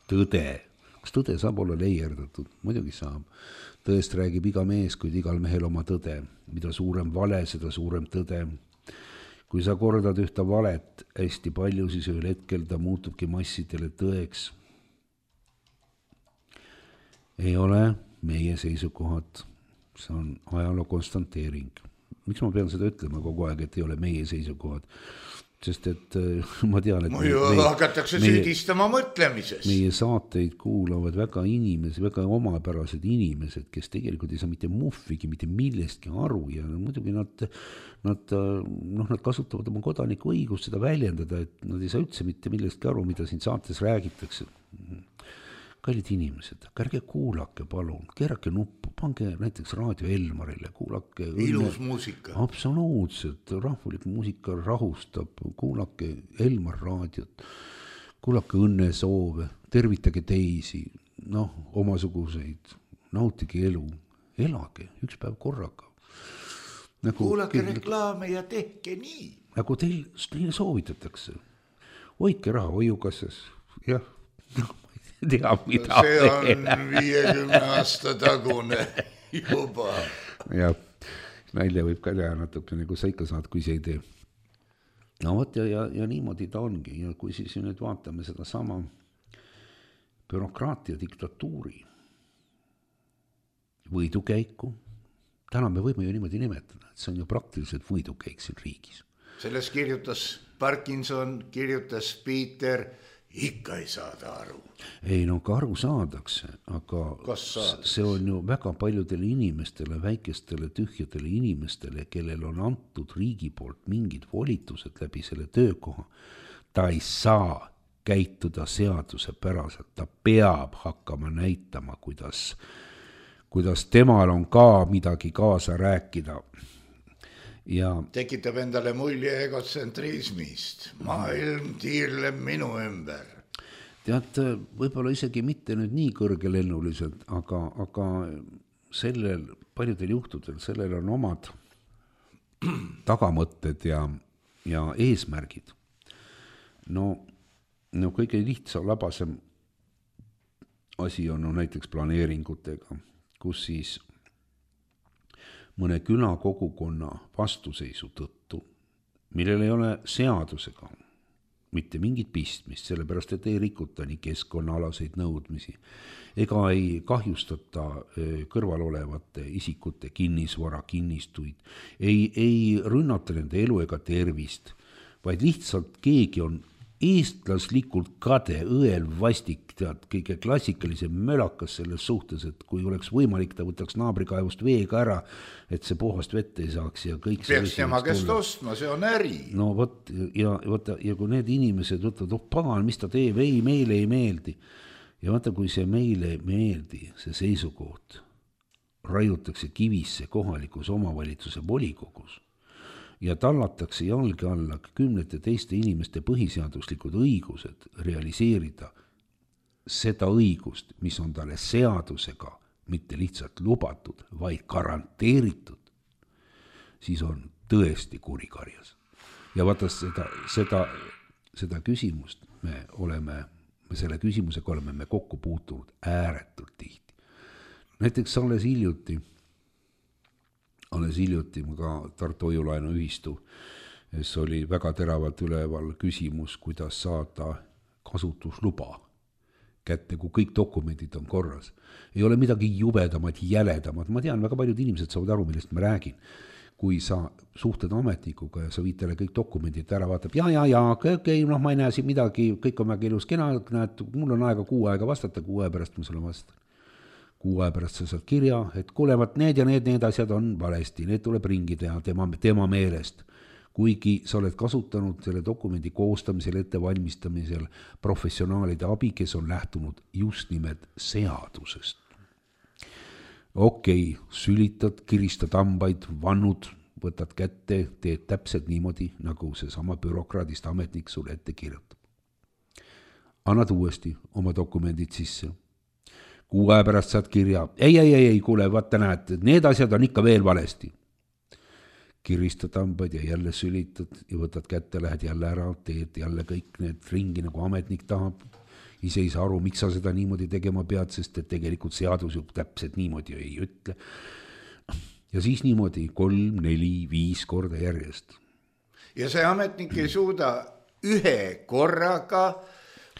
tõde. Kas tõde saab olla leierdatud? Muidugi saab. Tõest räägib iga mees, kuid igal mehel oma tõde. Mida suurem vale, seda suurem tõde. Kui sa kordad ühte valet hästi palju, siis ühel hetkel ta muutubki massidele tõeks. Ei ole meie seisukohad. See on ajaloo konstanteering. Miks ma pean seda ütlema kogu aeg, et ei ole meie seisukohad? Sest et ma tean, et Muidu meie, hakatakse meie, süüdistama mõtlemises. Meie saateid kuulavad väga inimesed, väga omapärased inimesed, kes tegelikult ei saa mitte muffigi, mitte millestki aru ja muidugi nad, nad, noh, nad kasutavad oma kodaniku õigust seda väljendada, et nad ei saa üldse mitte millestki aru, mida siin saates räägitakse. Kallid inimesed, ärge kuulake palun, keerake nuppu, pange näiteks Raadio Elmarile, kuulake ilus õnne, muusika. Absoluutselt, rahvulik muusika rahustab, kuulake Elmar raadiot, kuulake õnnesoove, tervitage teisi, noh, omasuguseid, nautige elu, elage üks päev korraga. Nagu, kuulake reklaame ja tehke nii. Nagu teil, teile soovitatakse, hoidke raha hoiukassas, jah, tea, mida see on viiekümne aasta tagune juba. Ja nalja võib ka teha natuke, nagu sa ikka saad, kui see ei tee. No võt, ja, ja, ja niimoodi ta ongi. Ja kui siis nüüd vaatame seda sama bürokraatia diktatuuri võidukäiku, täna me võime ju niimoodi nimetada, et see on ju praktiliselt võidukäik siin riigis. Selles kirjutas Parkinson, kirjutas Peter, ikka ei saada aru. Ei, no ka aru saadakse, aga see on ju väga paljudele inimestele, väikestele, tühjadele inimestele, kellel on antud riigi poolt mingid volitused läbi selle töökoha. Ta ei saa käituda seaduse päraselt, ta peab hakkama näitama, kuidas, kuidas temal on ka midagi kaasa rääkida. Ja tekitab endale mulje egotsentrismist. Maailm tiirleb minu ümber. Tead, võib-olla isegi mitte nüüd nii kõrgelennuliselt, aga, aga sellel paljudel juhtudel, sellel on omad tagamõtted ja, ja eesmärgid. No, no kõige lihtsam labasem asi on no, näiteks planeeringutega, kus siis mõne küla kogukonna vastuseisu tõttu, millel ei ole seadusega mitte mingit pistmist, sellepärast et ei rikuta nii keskkonnaalaseid nõudmisi, ega ei kahjustata kõrval olevate isikute kinnisvara, kinnistuid, ei, ei rünnata nende elu ega tervist, vaid lihtsalt keegi on eestlaslikult kade, õel vastik, tead, kõige klassikalisem mölakas selles suhtes, et kui oleks võimalik, ta võtaks naabrikaevust veega ära, et see puhast vett ei saaks ja kõik peaks tema käest ostma, see on äri. No võt, ja, võta, ja kui need inimesed võtavad, oh pagan, mis ta teeb, ei, meile ei meeldi. Ja vaata, kui see meile ei meeldi, see seisukoht raiutakse kivisse kohalikus omavalitsuse volikogus ja tallatakse jalge alla kümnete teiste inimeste põhiseaduslikud õigused realiseerida seda õigust, mis on talle seadusega mitte lihtsalt lubatud, vaid garanteeritud, siis on tõesti kurikarjas. Ja vaata seda, seda, seda küsimust me oleme, me selle küsimusega oleme me kokku puutunud ääretult tihti. Näiteks alles hiljuti, alles hiljuti ka Tartu Hoiulaenu ühistu, see oli väga teravalt üleval küsimus, kuidas saada kasutusluba kätte, kui kõik dokumendid on korras. Ei ole midagi jubedamat, jäledamat. Ma tean, väga paljud inimesed saavad aru, millest ma räägin. Kui sa suhted ametnikuga ja sa viid talle kõik dokumendid ära, vaatab, ja, ja, ja, okay, noh, ma ei näe siin midagi, kõik on väga ilus kena, näed, mul on aega kuu aega vastata, kuu aja pärast ma sulle vastan. Kuu aja pärast sa saad kirja, et kuulevat, need ja need, need asjad on valesti, need tuleb ringi teha tema, tema meelest. Kuigi sa oled kasutanud selle dokumendi koostamisel, ettevalmistamisel professionaalide abi, kes on lähtunud just nimelt seadusest. Okei, okay, sülitad, kiristad hambaid, vannud, võtad kätte, teed täpselt niimoodi, nagu see sama bürokraadist ametnik sulle ette kirjutab. Annad uuesti oma dokumendid sisse. Kuu aja pärast saad kirja, ei, ei, ei, ei, kuule, vaata näed, need asjad on ikka veel valesti. Kiristad hambaid ja jälle sülitad ja võtad kätte, lähed jälle ära, teed jälle kõik need ringi, nagu ametnik tahab. Ise ei saa aru, miks sa seda niimoodi tegema pead, sest et tegelikult seadus ju täpselt niimoodi ei ütle. Ja siis niimoodi kolm, neli, viis korda järjest. Ja see ametnik ei suuda ühe korraga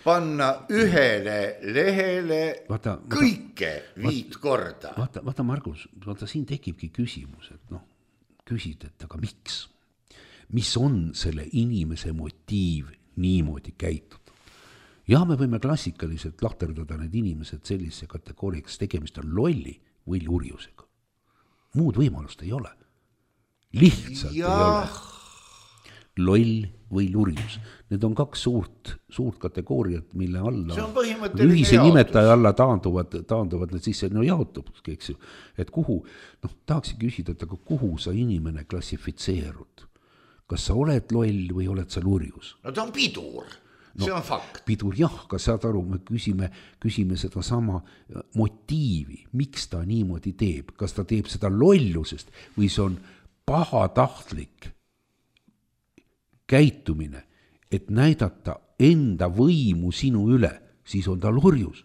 panna ühele lehele vaata, kõike vaata, viit korda. Vaata, vaata Margus, vaata siin tekibki küsimus, et noh, küsid, et aga miks? Mis on selle inimese motiiv niimoodi käituda? Ja me võime klassikaliselt lahterdada need inimesed sellise kategooriaks, tegemist on lolli või lurjusega. Muud võimalust ei ole. Lihtsalt ja. Ei ole. Loll või lurjus. Need on kaks suurt, suurt kategooriat, mille alla ühise nimetaja alla taanduvad, taanduvad need sisse, no jaotub, eks ju, et kuhu, noh, tahaksin küsida, et aga kuhu sa inimene klassifitseerud? Kas sa oled loll või oled sa lurjus? No ta on pidur, see no, on fakt. Pidur, jah, kas saad aru, me küsime, küsime seda sama motiivi, miks ta niimoodi teeb, kas ta teeb seda lollusest või see on pahatahtlik käitumine, et näidata enda võimu sinu üle, siis on ta lurjus.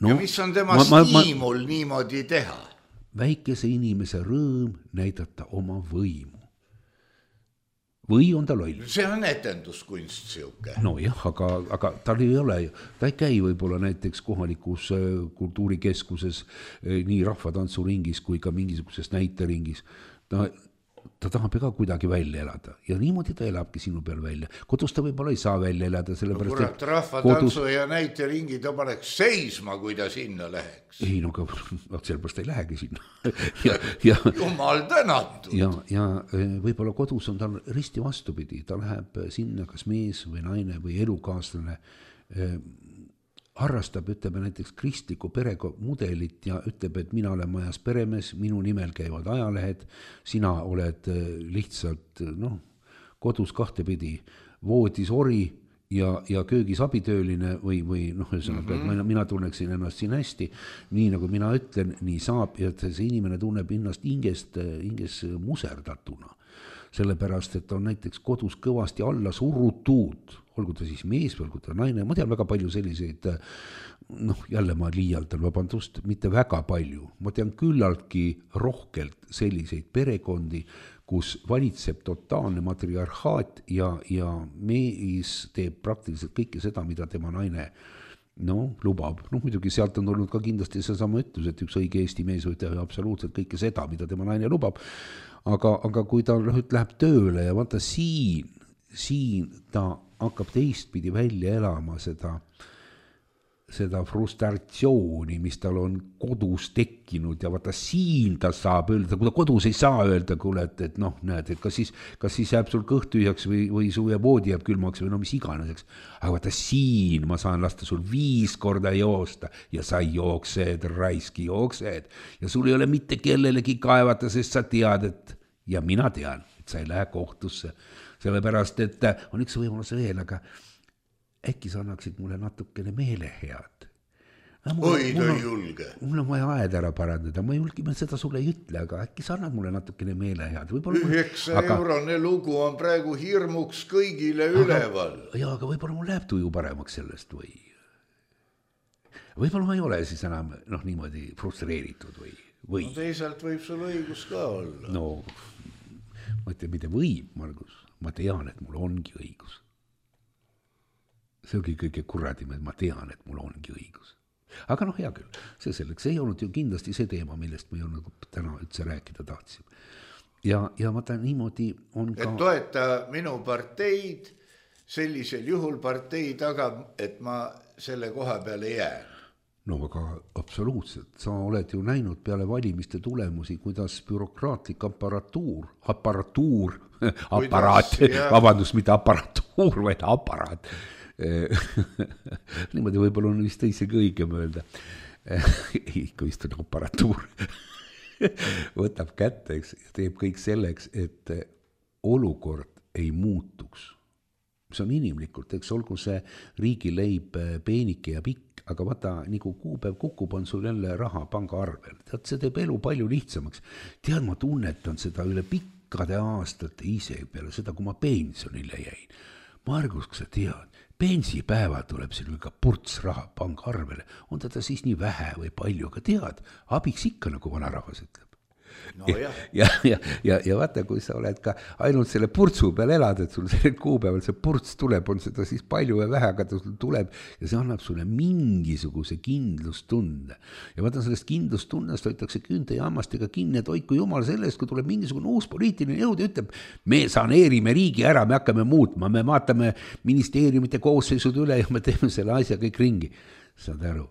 No, ja mis on tema ma, stiimul ma, niimoodi teha? Väikese inimese rõõm näidata oma võimu. Või on ta loll? See on etenduskunst siuke. No jah, aga, aga tal ei ole, ta ei käi võib-olla näiteks kohalikus kultuurikeskuses nii rahvatantsuringis kui ka mingisuguses näiteringis. Ta ta tahab ka kuidagi välja elada ja niimoodi ta elabki sinu peal välja. Kodus ta võib-olla ei saa välja elada, sellepärast, no kurat, rahvatantsu kodus... ja näiteringi ta paneks seisma, kui ta sinna läheks. Ei, no ka sellepärast ei lähegi sinna. ja, ja, Jumal tänatud. Ja, ja võib-olla kodus on tal risti vastupidi, ta läheb sinna kas mees või naine või elukaaslane harrastab, ütleme näiteks kristliku perega mudelit ja ütleb, et mina olen majas peremees, minu nimel käivad ajalehed, sina oled lihtsalt noh, kodus kahtepidi voodis ori ja, ja köögis abitööline või, või noh, ühesõnaga, mm-hmm. mina, mina tunneksin ennast siin hästi, nii nagu mina ütlen, nii saab ja see inimene tunneb ennast hingest, hinges muserdatuna. Sellepärast, et on näiteks kodus kõvasti alla surutud, olgu ta siis mees või olgu ta naine, ma tean väga palju selliseid, noh jälle ma liialdan, vabandust, mitte väga palju, ma tean küllaltki rohkelt selliseid perekondi, kus valitseb totaalne matriarhaat ja, ja mees teeb praktiliselt kõike seda, mida tema naine no, lubab. Noh, muidugi sealt on olnud ka kindlasti see sama ütlus, et üks õige Eesti mees võib teha absoluutselt kõike seda, mida tema naine lubab, aga, aga kui ta läheb tööle ja vaata siin, siin ta hakkab teistpidi välja elama seda seda frustratsiooni, mis tal on kodus tekkinud ja vaata siin ta saab öelda, kui ta kodus ei saa öelda, kuule, et, et noh, näed, et kas siis, kas siis jääb sul kõht tühjaks või, või su ja voodi jääb külmaks või no mis iganeseks. Aga vaata siin ma saan lasta sul viis korda joosta ja sa jooksed, raiski jooksed ja sul ei ole mitte kellelegi kaevata, sest sa tead, et ja mina tean, et sa ei lähe kohtusse, sellepärast, et on üks võimalus veel, aga äkki sa annaksid mulle natukene meelehead. Oi, ta ei julge. Mul on vaja aed ära parandada, ma julgime seda sulle ei ütle, aga äkki sa annad mulle natukene meelehead. Üheksa aga... eurone lugu on praegu hirmuks kõigile aga, üleval. Ja, aga võib-olla mul läheb tuju paremaks sellest või... Võib-olla ma ei ole siis enam noh, niimoodi frustreeritud või... või... No teisalt võib sul õigus ka olla. No, ma ütlen, mitte võib, Margus. Ma tean, et mul ongi õigus. See ongi kõige kuradim, et ma tean, et mul ongi õigus. Aga noh, hea küll, see selleks ei olnud ju kindlasti see teema, millest me ju nagu täna üldse rääkida tahtsime. Ja, ja vaata niimoodi on ka... Et toeta minu parteid, sellisel juhul partei tagab, et ma selle koha peale jään. No aga absoluutselt, sa oled ju näinud peale valimiste tulemusi, kuidas bürokraatlik aparatuur, aparatuur, aparaat, vabandust, mitte aparatuur, vaid aparaat, niimoodi võib-olla on vist isegi õigem öelda, ikka vist on aparatuur, võtab kätte, eks, ja teeb kõik selleks, et olukord ei muutuks. See on inimlikult, eks olgu see riigileib peenike ja pikk, aga vaata, nagu kuupäev kukub, on sul jälle raha panga arvel. Tead, see teeb elu palju lihtsamaks. Tead, ma tunnetan seda üle pikkade aastate ise peale seda, kui ma pensionile jäin. Margus, kui sa tead, pensipäeval tuleb siin ka purts raha panga arvele. On teda siis nii vähe või palju, aga tead, abiks ikka, nagu vanarahvas ütleb. No, ja, ja, ja, ja, ja vaata, kui sa oled ka ainult selle purtsu peal elad, et sul selle kuupäeval see purts tuleb, on seda siis palju ja vähe, aga ta sul tuleb ja see annab sulle mingisuguse kindlustunde. Ja vaata, sellest kindlustundest hoitakse küünte ja hammastega kinni, et hoiku jumal sellest, kui tuleb mingisugune uus poliitiline jõud ja ütleb, me saneerime riigi ära, me hakkame muutma, me vaatame ministeeriumite koosseisud üle ja me teeme selle asja kõik ringi. Saad aru?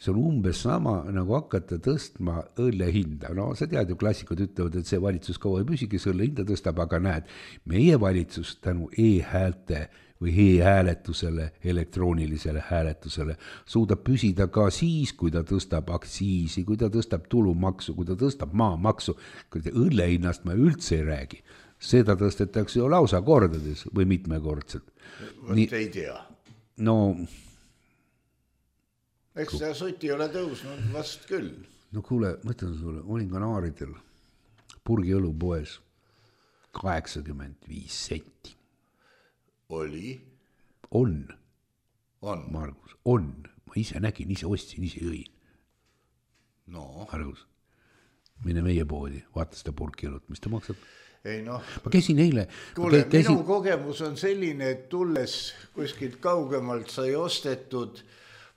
See on umbes sama, nagu hakata tõstma õlle hinda. No sa tead ju, klassikud ütlevad, et see valitsus kaua ei püsi, kes õlle hinda tõstab, aga näed, meie valitsus tänu e-häälte või e-hääletusele, elektroonilisele hääletusele suudab püsida ka siis, kui ta tõstab aktsiisi, kui ta tõstab tulumaksu, kui ta tõstab maamaksu, kui ta õlle hinnast ma üldse ei räägi. Seda tõstetakse ju lausa kordades või mitmekordselt. Nii, ei tea. No... Eks see soti ole tõusnud vast küll. No kuule, mõtlen sulle, olin Kanaaridel purgi õlupoes kaheksakümmend viis senti. Oli? On. On? Margus, on. Ma ise nägin, ise ostsin, ise jõin. No. Margus, mine meie poodi, vaata seda purgi õlut, mis ta maksab. Ei noh. Ma käisin eile. Kuule, käisin... minu kogemus on selline, et tulles kuskilt kaugemalt sai ostetud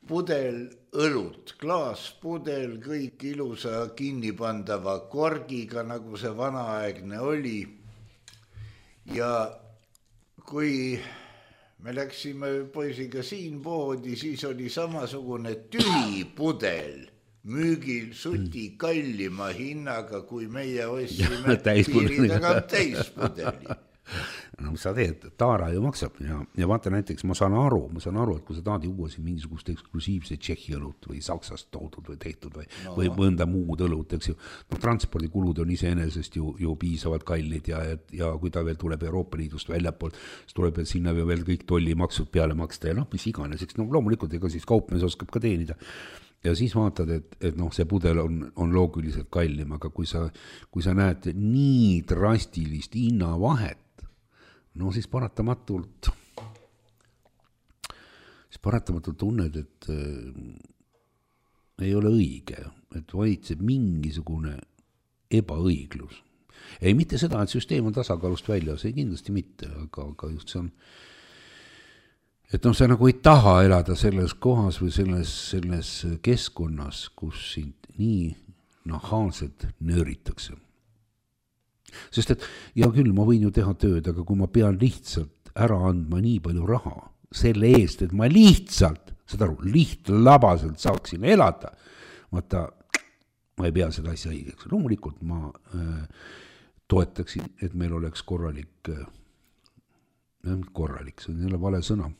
pudel õlut, klaaspudel, kõik ilusa kinnipandava korgiga, nagu see vanaaegne oli. Ja kui me läksime poisiga siin poodi, siis oli samasugune tühi pudel müügil suti kallima hinnaga, kui meie ostsime piiri tagant täispudeli. No mis sa teed, taara ju maksab ja, ja vaata näiteks, ma saan aru, ma saan aru, et kui sa tahad juua siin mingisugust eksklusiivse Tšehhi õlut või Saksast toodud või tehtud või, no. või mõnda muud õlut, eks ju, no transpordikulud on iseenesest ju, ju piisavalt kallid ja, ja kui ta veel tuleb Euroopa Liidust väljapoolt, siis tuleb sinna veel kõik tollimaksud peale maksta ja noh, mis iganes, eks no loomulikult ega siis kaupmees oskab ka teenida. Ja siis vaatad, et, et noh, see pudel on, on loogiliselt kallim, aga kui sa, kui sa näed nii drastilist hinnavahet, no siis paratamatult, siis paratamatult tunned, et äh, ei ole õige, et valitseb mingisugune ebaõiglus. Ei mitte seda, et süsteem on tasakaalust välja, see kindlasti mitte, aga, aga just see on, et noh, sa nagu ei taha elada selles kohas või selles, selles keskkonnas, kus sind nii nahaalselt nööritakse. Sest et, ja küll, ma võin ju teha tööd, aga kui ma pean lihtsalt ära andma nii palju raha selle eest, et ma lihtsalt seda aru, lihtlabaselt saaksin elada, vaata, ma ei pea seda asja õigeks. Loomulikult ma äh, toetaksin, et meil oleks korralik, äh, korralik, see on jälle vale sõna,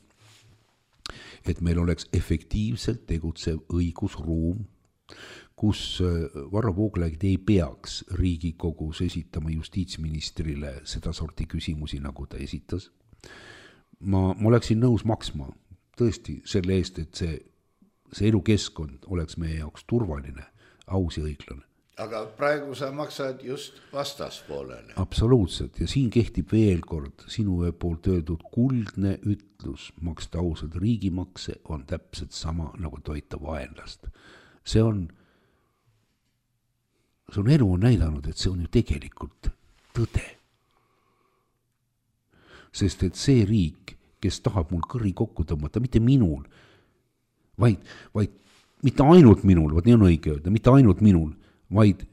et meil oleks efektiivselt tegutsev õigusruum, kus Varro Vooglaid ei peaks Riigikogus esitama justiitsministrile seda sorti küsimusi, nagu ta esitas. Ma, ma oleksin nõus maksma tõesti selle eest, et see, see elukeskkond oleks meie jaoks turvaline, aus ja õiglane. Aga praegu sa maksad just vastaspoolele. Absoluutselt, ja siin kehtib veel kord sinu poolt öeldud kuldne ütlus, maksta ausalt riigimakse on täpselt sama nagu toita vaenlast. See on, see on elu on näidanud, et see on ju tegelikult tõde. Sest et see riik, kes tahab mul kõri kokku tõmmata, mitte minul, vaid, vaid mitte ainult minul, vaid nii on õige öelda, mitte ainult minul, vaid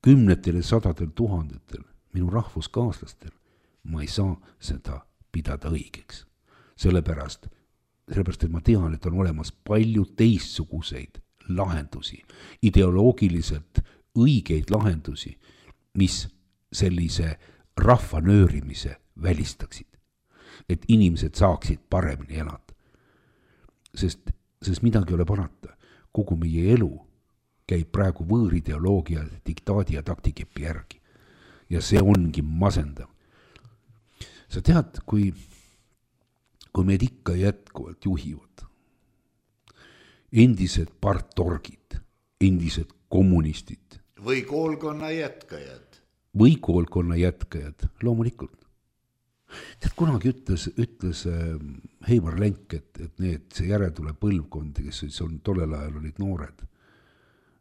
kümnetel ja sadadel tuhandetel minu rahvuskaaslastel, ma ei saa seda pidada õigeks. Sellepärast, sellepärast, et ma tean, et on olemas palju teistsuguseid lahendusi, ideoloogiliselt õigeid lahendusi, mis sellise rahva nöörimise välistaksid, et inimesed saaksid paremini elada. Sest, sest midagi ei ole parata. Kogu meie elu käib praegu võõrideoloogia, diktaadi ja taktikepi järgi. Ja see ongi masendav. Sa tead, kui, kui meid ikka jätkuvalt juhivad endised partorgid, endised kommunistid. Või koolkonna jätkajad. Või koolkonna jätkajad, loomulikult. Tead, kunagi ütles, ütles Heimar Lenk, et, et need, see järeltule põlvkond, kes on tollel ajal olid noored.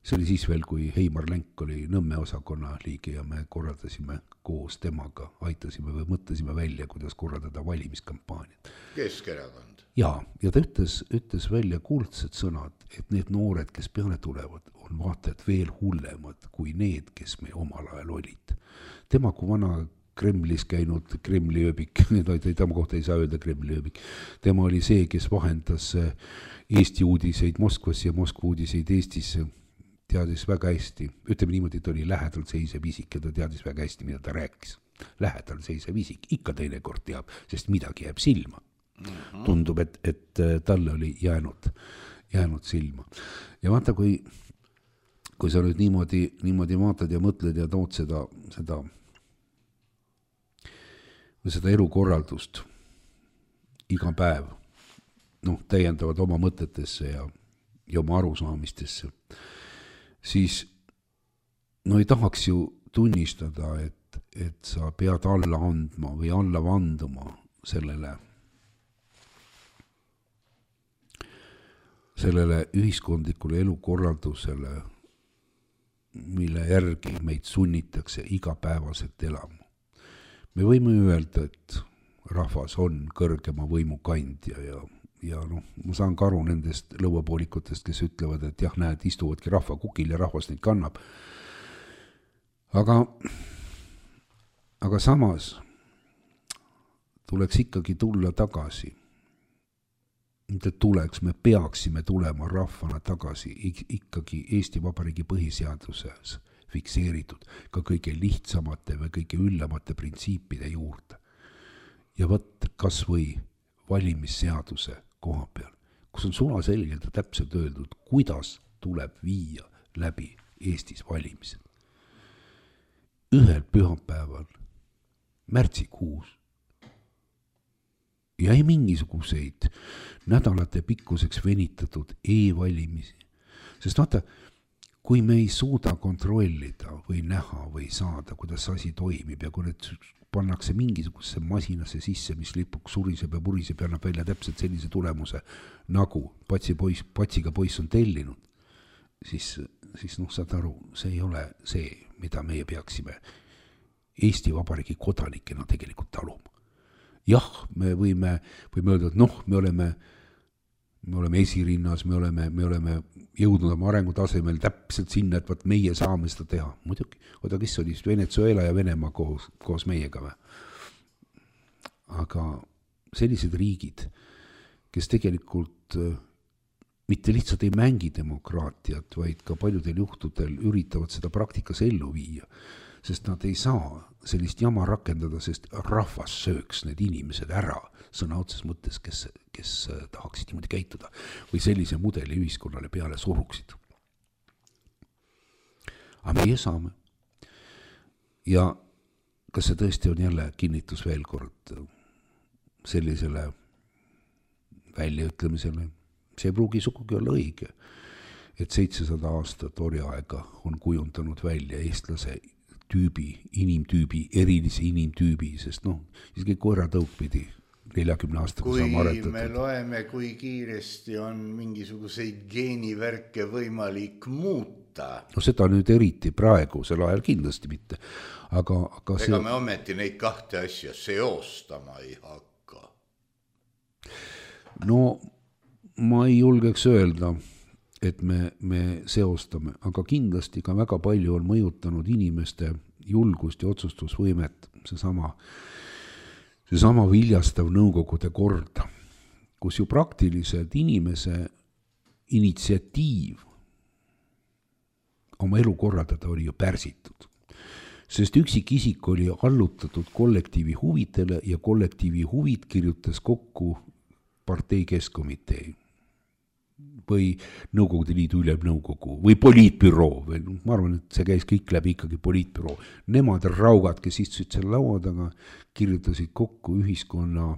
See oli siis veel, kui Heimar Lenk oli Nõmme osakonna liige ja me korraldasime koos temaga, aitasime või mõtlesime välja, kuidas korraldada valimiskampaaniat. Keskerakond. Ja, ja ta ütles, ütles välja kuldsed sõnad, et need noored, kes peale tulevad, on vaatajad veel hullemad kui need, kes me omal ajal olid. Tema kui vana Kremlis käinud Kremli ööbik, tema kohta ei saa öelda Kremli ööbik. Tema oli see, kes vahendas Eesti uudiseid Moskvas ja Moskva uudiseid Eestis, teadis väga hästi. Ütleme niimoodi, et oli lähedal seisev isik ja ta teadis väga hästi, mida ta rääkis. Lähedal seisev isik, ikka teine kord teab, sest midagi jääb silma. Mm-hmm. Tundub, et, et talle oli jäänud, jäänud silma. Ja vaata, kui, kui sa nüüd niimoodi, niimoodi vaatad ja mõtled ja tood seda, seda seda elukorraldust iga päev, noh, täiendavad oma mõtetesse ja, ja oma arusaamistesse, siis no ei tahaks ju tunnistada, et, et sa pead alla andma või alla vanduma sellele, sellele ühiskondlikule elukorraldusele, mille järgi meid sunnitakse igapäevaselt elama. Me võime öelda, et rahvas on kõrgema võimu kandja ja, ja noh, ma saan ka aru nendest lõuapoolikutest, kes ütlevad, et jah, näed, istuvadki rahva kukil ja rahvas neid kannab. Aga, aga samas tuleks ikkagi tulla tagasi. Mitte tuleks, me peaksime tulema rahvana tagasi ikkagi Eesti Vabariigi põhiseaduses fikseeritud ka kõige lihtsamate või kõige üllamate printsiipide juurde. Ja võt kas või valimisseaduse koha peal, kus on sula selgelt ja täpselt öeldud, kuidas tuleb viia läbi Eestis valimised. Ühel pühapäeval, märtsikuus, ja ei mingisuguseid nädalate pikkuseks venitatud e-valimisi. Sest vaata, kui me ei suuda kontrollida või näha või saada, kuidas asi toimib ja kui need pannakse mingisugusesse masinasse sisse, mis lipuks suriseb ja puriseb ja annab välja täpselt sellise tulemuse, nagu patsi poiss, patsiga poiss on tellinud, siis, siis noh, saad aru, see ei ole see, mida meie peaksime Eesti Vabariigi kodanikena tegelikult taluma. Jah, me võime, võime öelda, et noh, me oleme me oleme esirinnas, me oleme, me oleme jõudnud oma arengutasemel täpselt sinna, et vaat meie saame seda teha. Muidugi, oda, kes oli Venezuela ja Venemaa koos, koos meiega või? Aga sellised riigid, kes tegelikult mitte lihtsalt ei mängi demokraatiat, vaid ka paljudel juhtudel üritavad seda praktikas ellu viia, sest nad ei saa sellist jama rakendada, sest rahvas sööks need inimesed ära sõna otses mõttes, kes, kes tahaksid niimoodi käituda või sellise mudeli ühiskonnale peale suruksid. Aga meie saame. Ja kas see tõesti on jälle kinnitus veel kord sellisele väljaütlemisele? See ei pruugi sugugi olla õige, et seitsesada aastat orjaaega on kujundanud välja eestlase tüübi, inimtüübi, erilise inimtüübi, sest noh, isegi koeratõuk pidi neljakümne aastaga saama aretatud. Kui me loeme, kui kiiresti on mingisuguseid geenivärke võimalik muuta. No seda nüüd eriti praegu, sel ajal kindlasti mitte. Aga, aga ega see... me ometi neid kahte asja seostama ei hakka. No ma ei julgeks öelda, et me, me seostame, aga kindlasti ka väga palju on mõjutanud inimeste julgust ja otsustusvõimet, see sama, see sama viljastav nõukogude kord, kus ju praktiliselt inimese initsiatiiv oma elu korraldada oli ju pärsitud. Sest üksik isik oli allutatud kollektiivi huvidele ja kollektiivi huvid kirjutas kokku partei keskkomitee või Nõukogude Liidu ülemnõukogu või poliitbüroo või ma arvan, et see käis kõik läbi ikkagi poliitbüroo. Nemad raugad, kes istusid selle laua taga, kirjutasid kokku ühiskonna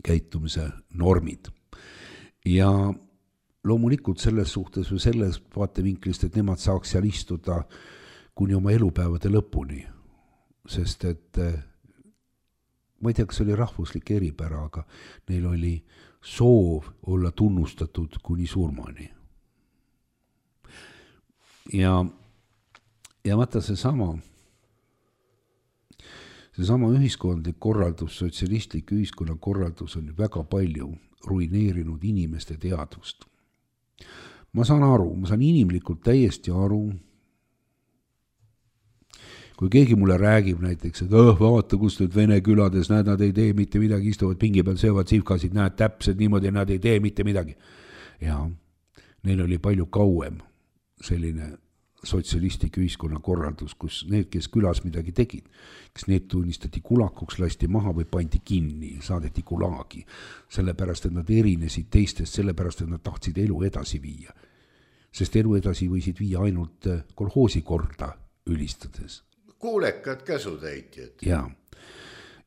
käitumise normid. Ja loomulikult selles suhtes või selles vaatevinklist, et nemad saaks seal istuda kuni oma elupäevade lõpuni, sest et ma ei tea, kas oli rahvuslik eripära, aga neil oli soov olla tunnustatud kuni surmani. Ja, ja vaata see sama, see sama ühiskondlik korraldus, sotsialistlik ühiskonna korraldus on väga palju ruineerinud inimeste teadvust. Ma saan aru, ma saan inimlikult täiesti aru, kui keegi mulle räägib näiteks, et oh, vaata, kus nüüd Vene külades, näed, nad ei tee mitte midagi, istuvad pingi peal, söövad sivkasid, näed täpselt niimoodi, nad ei tee mitte midagi. Ja neil oli palju kauem selline sotsialistlik ühiskonna korraldus, kus need, kes külas midagi tegid, kes need tunnistati kulakuks, lasti maha või pandi kinni, saadeti kulaagi, sellepärast, et nad erinesid teistest, sellepärast, et nad tahtsid elu edasi viia. Sest elu edasi võisid viia ainult kolhoosi korda ülistades. Kuulekad käsutäitjad. Ja,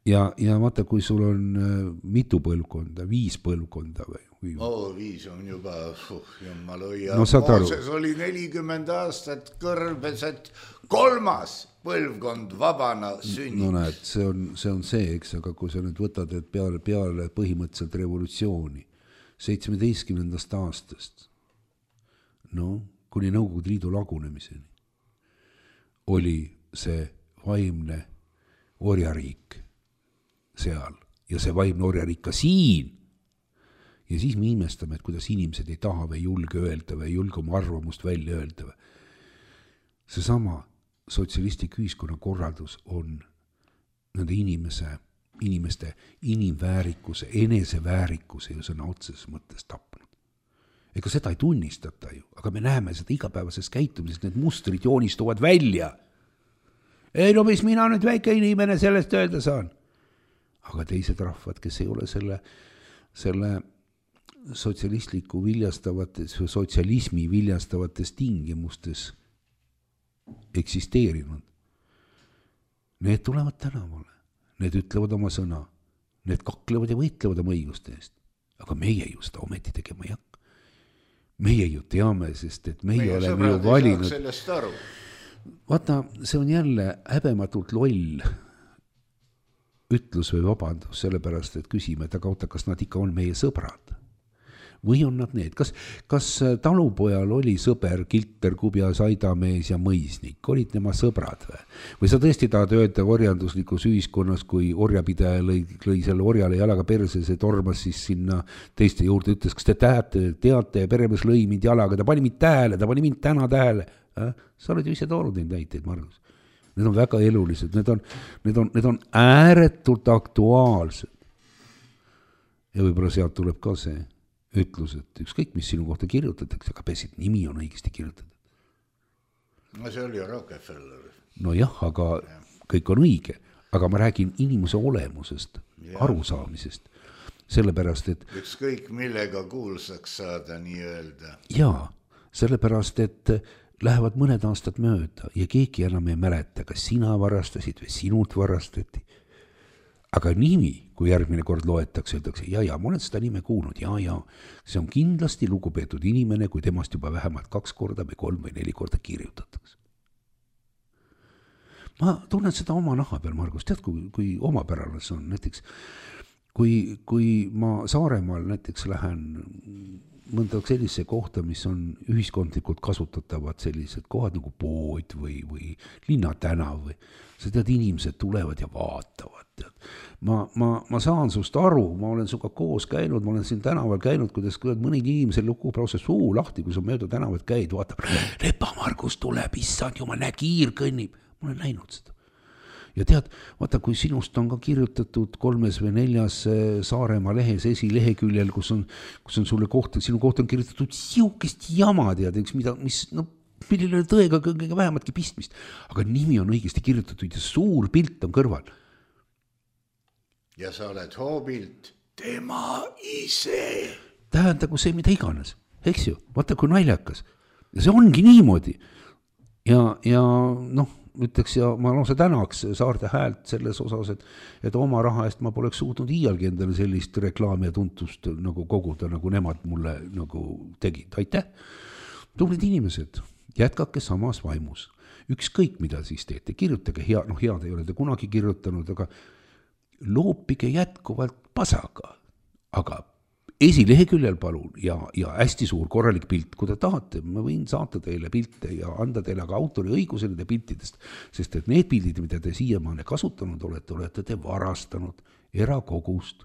ja, ja vaata, kui sul on mitu põlvkonda, viis põlvkonda või? või... Oo, viis on juba, uh, jumal hoia. No, Mooses oli nelikümmend aastat kõrbes, kolmas põlvkond vabana sünnib. No näed, see on, see on see, eks, aga kui sa nüüd võtad, et peale, peale põhimõtteliselt revolutsiooni, seitsmeteistkümnendast aastast, no, kuni Nõukogude Liidu lagunemiseni, oli see vaimne orjariik seal ja see vaimne orjariik ka siin. Ja siis me imestame, et kuidas inimesed ei taha või julge öelda või julge oma arvamust välja öelda. See sama sotsialistlik ühiskonna korraldus on nende inimese, inimeste inimväärikuse, eneseväärikuse ja sõna otseses mõttes tapnud. Ega seda ei tunnistata ju, aga me näeme seda igapäevases käitumises, need mustrid joonistuvad välja. Ei, no mis mina nüüd väike inimene sellest öelda saan. Aga teised rahvad, kes ei ole selle, selle sotsialistliku viljastavates või sotsialismi viljastavates tingimustes eksisteerinud. Need tulevad tänavale, need ütlevad oma sõna, need kaklevad ja võitlevad oma õiguste eest. Aga meie ju seda ometi tegema ei hakka. Meie ju teame, sest et meie, meie oleme ju valinud. Sellest aru. Vaata, see on jälle häbematult loll ütlus või vabandus, sellepärast, et küsime, et aga oota, kas nad ikka on meie sõbrad? Või on nad need? Kas, kas talupojal oli sõber, kilter, kubjas, aidamees ja mõisnik? Olid nema sõbrad või? Või sa tõesti tahad öelda orjanduslikus ühiskonnas, kui orjapidaja lõi, lõi selle orjale jalaga perse, see tormas siis sinna teiste juurde, ütles, kas te teate, teate, peremees lõi mind jalaga, ta pani mind tähele, ta pani mind täna tähele. Äh? Sa oled ju ise toonud neid näiteid, Margus. Need on väga elulised, need on, need on, need on ääretult aktuaalsed. ja võib-olla sealt tuleb ka see ütlus, et ükskõik, mis sinu kohta kirjutatakse, aga peaasi, et nimi on õigesti kirjutatud. No see oli Rockefeller. No jah, aga ja. kõik on õige, aga ma räägin inimese olemusest, ja. arusaamisest, sellepärast, et ükskõik millega kuulsaks saada nii öelda. Jaa, sellepärast, et lähevad mõned aastad mööda ja keegi enam ei mäleta, kas sina varastasid või sinult varastati. Aga nimi, kui järgmine kord loetakse, öeldakse, ja, ja, ma olen seda nime kuulnud, ja, ja, see on kindlasti lugupeetud inimene, kui temast juba vähemalt kaks korda või kolm või neli korda kirjutatakse. Ma tunnen seda oma naha peal, Margus, tead, kui, kui omapärane see on, näiteks, kui, kui ma Saaremaal näiteks lähen mõnda sellise kohta, mis on ühiskondlikult kasutatavad sellised kohad nagu pood või, või linnatänav või sa tead, inimesed tulevad ja vaatavad. Tead. Ma, ma, ma saan sust aru, ma olen suga koos käinud, ma olen siin tänaval käinud, kuidas mõned inimesed lukub lausa suu lahti, kui sa mööda tänavat käid, vaatab, Lepa Margus tuleb, issand jumal, näe, kiir kõnnib. Ma olen näinud seda. Ja tead, vaata, kui sinust on ka kirjutatud kolmes või neljas Saaremaa lehes esileheküljel, kus on, kus on sulle kohta, sinu kohta on kirjutatud siukest jama, tead, üks mida, mis, no, millele tõega kõige vähematki pistmist, aga nimi on õigesti kirjutatud ja suur pilt on kõrval. Ja sa oled hoobilt tema ise. Tähendagu see mida iganes, eks ju, vaata kui naljakas. Ja see ongi niimoodi. Ja, ja noh, ütleks ja ma lausa tänaks Saarte Häält selles osas, et, et oma raha eest ma poleks suutnud iialgi endale sellist reklaami ja tuntust nagu koguda, nagu nemad mulle nagu tegid. Aitäh! Tublid inimesed, jätkake samas vaimus. Ükskõik mida siis teete, kirjutage hea, noh head ei ole te kunagi kirjutanud, aga loopige jätkuvalt pasaga, aga esileheküljel palun ja, ja hästi suur korralik pilt, kui te tahate, ma võin saata teile pilte ja anda teile ka autoriõiguse nende piltidest, sest et need pildid, mida te siiamaane kasutanud olete, olete te varastanud erakogust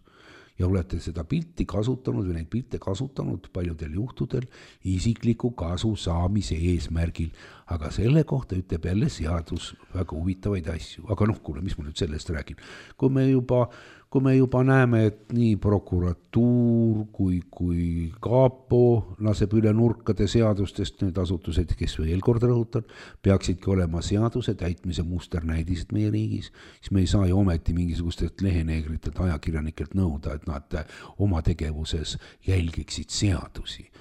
ja olete seda pilti kasutanud või neid pilte kasutanud paljudel juhtudel isikliku kasu saamise eesmärgil, aga selle kohta ütleb jälle seadus väga huvitavaid asju, aga noh, kuule, mis ma nüüd sellest räägin, kui me juba kui me juba näeme, et nii prokuratuur kui, kui Kaapo laseb üle nurkade seadustest, need asutused, kes veel kord rõhutan, peaksidki olema seaduse täitmise musternäidised meie riigis, siis me ei saa ju ometi mingisugustelt leheneegritelt ajakirjanikelt nõuda, et nad oma tegevuses jälgiksid seadusi.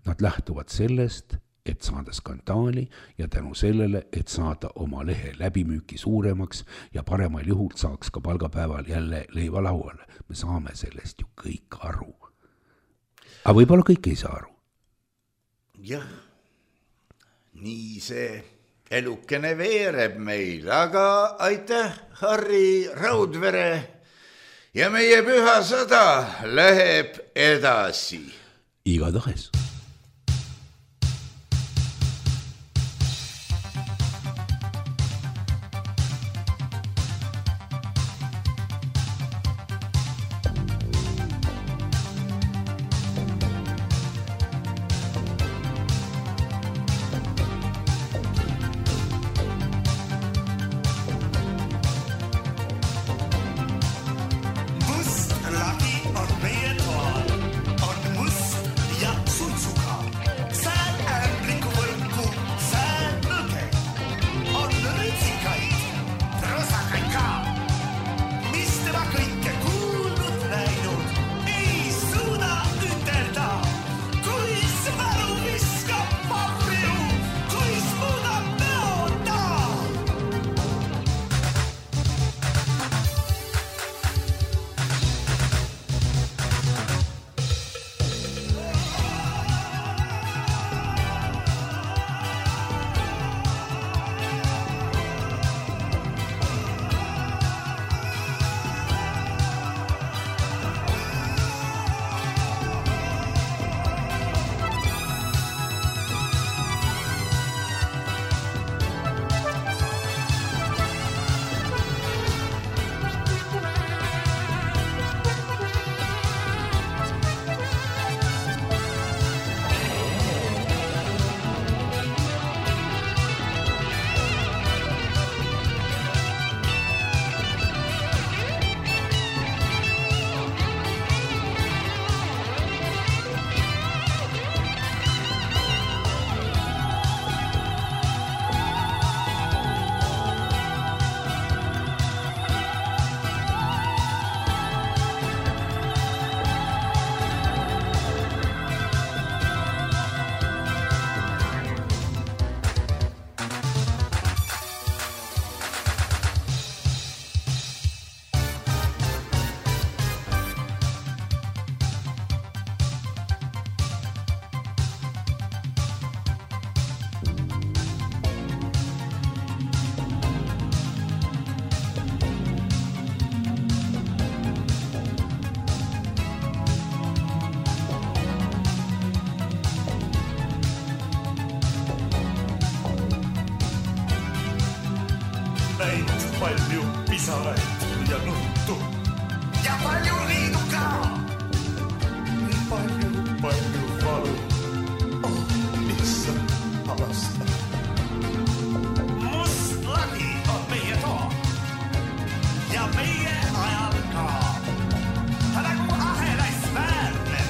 Nad lähtuvad sellest, et saada skandaali ja tänu sellele, et saada oma lehe läbimüüki suuremaks ja paremal juhul saaks ka palgapäeval jälle leiva lauale. Me saame sellest ju kõik aru. Aga võib-olla kõik ei saa aru. Jah, nii see elukene veereb meil, aga aitäh, Harri Raudvere ja meie püha sõda läheb edasi. Igatahes. Must, laki on meie toal, on must ja suits. palju pisaraid ja nuttu. Ja palju liidu ka. Nii palju, palju valu. Oh, lihtsalt avasta. Must lagi on meie too. Ja meie ajal ka. Ta nagu ahelais väärne.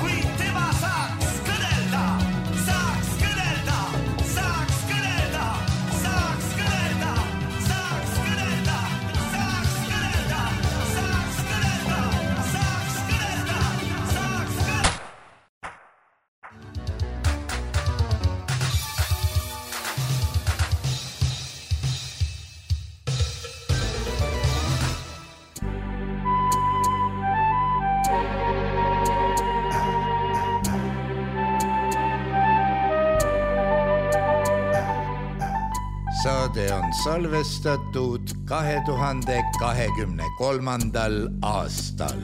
Kui tema saaks kõnelda, saaks kõnelda, saaks kõnelda, saaks kõnelda, saaks kõnelda, saaks kõnelda, saaks kõnelda, saaks kõnelda, saaks kõnelda. Saade on salvestatud kahe tuhande kahekümne kolmandal aastal.